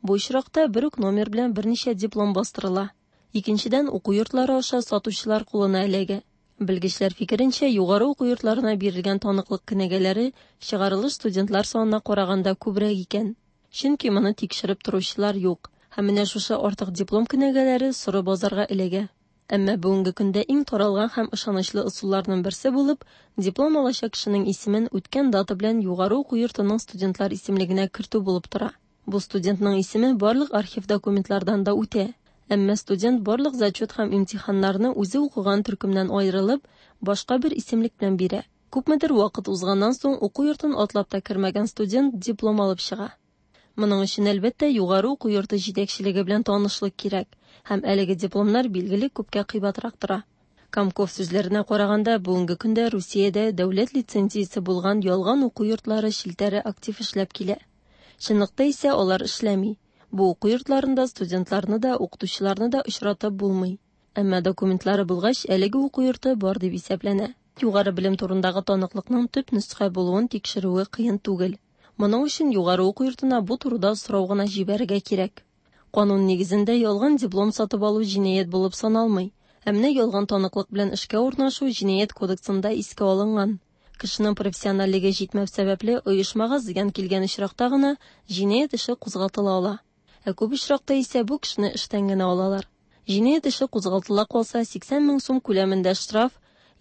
S11: Бу очракта бер үк номер белән берничә диплом бастырыла. Икенчедән, уку йортлары аша сатучылар кулына эләгә. Белгечләр фикеренчә, югары уку йортларына бирелгән таныклык кенәгәләре чыгарылыш студентлар санына караганда күбрәк икән. Чөнки моны тикшереп торучылар юк. Һәм менә шушы артык диплом кенәгәләре соры базарга эләгә. Әмма бүгенге көндә иң таралган һәм ышанычлы ысулларның берсе булып, диплом алачак кешенең исемен үткән дата белән югары уку йортының студентлар исемлегенә кертү булып тора. Бу студентның исеме барлык архив документлардан да үтә. Әмма студент барлык зачет һәм имтиханнарны үзе укыган төркемнән аерылып, башка бер исемлек белән бирә. Күпмедер вакыт узганнан соң уку йортын атлап та кермәгән студент диплом алып чыга. Моның өчен әлбәттә югары уку йорты җитәкчелеге белән танышлык кирәк, һәм әлеге дипломнар билгеле күпкә кыйбатрак тора. Комков сүзләренә караганда, бүгенге көндә Русиядә дәүләт лицензиясе булган ялган уку йортлары челтәре актив эшләп килә. Чынлыкта исә алар эшләми. Бу уку йортларында студентларны да, укытучыларны да очратып булмый. Әмма документлары булгач, әлеге уку йорты бар дип исәпләнә. Югары белем турындагы таныклыкның төп нөсхә булуын тикшерүе кыен түгел. Моның өчен югары уку йортына бу турыда сорау гына җибәрергә кирәк. Канун нигезендә ялган диплом сатып алу җинаять булып саналмый. Ә менә ялган таныклык белән эшкә урнашу җинаять кодексында искә алынган. Кешенең профессиональлеге җитмәү сәбәпле оешмага зыян килгән очракта гына җинаять эше кузгатыла ала. Ә күп очракта исә бу кешене эштән генә алалар. Җинаять эше кузгатыла калса, сиксән мең сум күләмендә штраф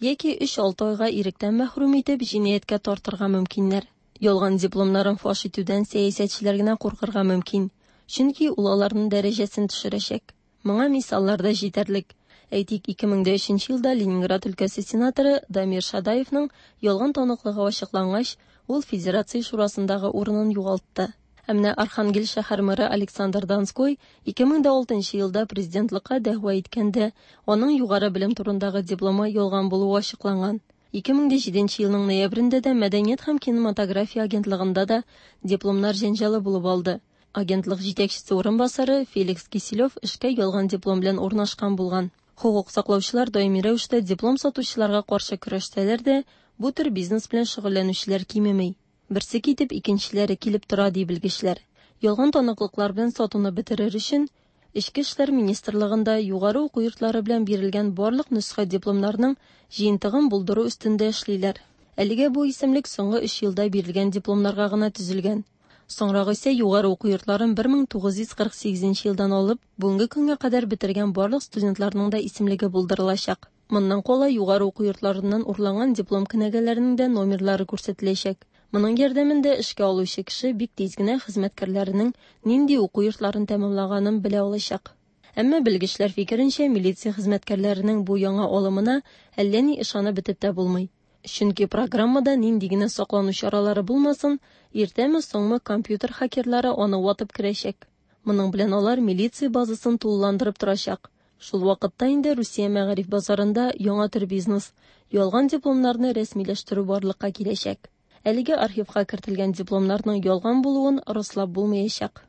S11: яки өч-алты айга иректән мәхрүм итеп җинаятькә тартырга мөмкиннәр. Ялган дипломнарын фаш итүдән сәясәтчеләр генә куркырга мөмкин, чөнки ул аларның дәрәҗәсен төшерәчәк. Моңа мисаллар да җитәрлек. Әйтик, ике мең дә өченче елда Ленинград өлкәсе сенаторы Дамир Шадаевның ялган таныклыгы ачыклангач, ул Федерация шурасындагы урынын югалтты. Ә менә Архангел шәһәр мэры Александр Донской ике мең дә алтынчы елда президентлыкка дәгъва иткәндә, аның югары белем турындагы дипломы ялган булуы ачыкланган. ике мең дә җиденче елның ноябрендә дә Мәдәният һәм кинематография агентлыгында да дипломнар җәнҗалы булып алды. Агентлык җитәкчесе урынбасары Феликс Киселев эшкә ялган диплом белән урнашкан булган. Хукук саклаучылар даими рәвештә диплом сатучыларга каршы көрәштәләр дә, бу төр бизнес белән шөгыльләнүчеләр кимеми. Берсе китеп, икенчеләре килеп тора, ди белгечләр. Ялган таныклыклар белән сатуны бетерер өчен Эчке эшләр министрлыгында югары уку йортлары белән бирелгән барлык нөсхә дипломнарның җыентыгын булдыру өстендә эшлиләр. Әлегә бу исемлек соңгы өч елда бирелгән дипломнарга гына төзелгән. Соңрак исә югары уку йортларын бер мең тугыз йөз кырык сигезенче елдан алып, бүгенге көнгә кадәр бетергән барлык студентларның да исемлеге булдырылачак. Моннан кала югары уку йортларыннан урланган диплом кенәгәләренең дә номерлары күрсәтеләчәк. Моның ярдәмендә эшкә алучы кеше бик тиз генә хезмәткәрләренең нинди уку йортларын тәмамлаганын белә алачак. Әмма белгечләр фикеренчә, милиция хезмәткәрләренең бу яңа алымына әллә ни ышанып бетеп тә булмый. Чөнки программада нинди генә саклану чаралары булмасын, иртәме-соңмы компьютер хакерлары аны ватып керәчәк. Моның белән алар милиция базасын тулыландырып торачак. Шул вакытта инде Русия мәгариф базарында яңа төр бизнес ялган дипломнарны рәсмиләштерү барлыкка киләчәк. Әлегә архивка кертелгән дипломнарның ялган булуын раслап булмаячак.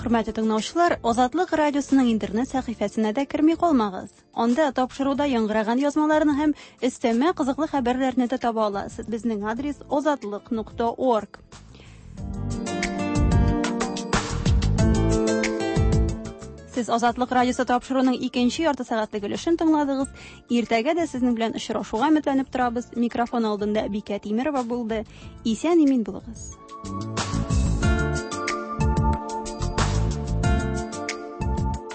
S1: Хөрмәтле тыңлаучылар, Азатлык радиосының интернет сәхифәсенә дә керми калмагыз. Анда тапшыруда яңгыраган язмаларны һәм өстәмә кызыклы хәбәрләрне дә таба аласыз. Безнең адрес озатлык нокта орг. Сез Азатлык радиосы тапшыруының икенче ярты сәгатьлек өлешен тыңладыгыз. Иртәгә дә сезнең белән очрашуга өметләнеп торабыз. Микрофон алдында Бикә Тимерова булды. Исән-имин булыгыз.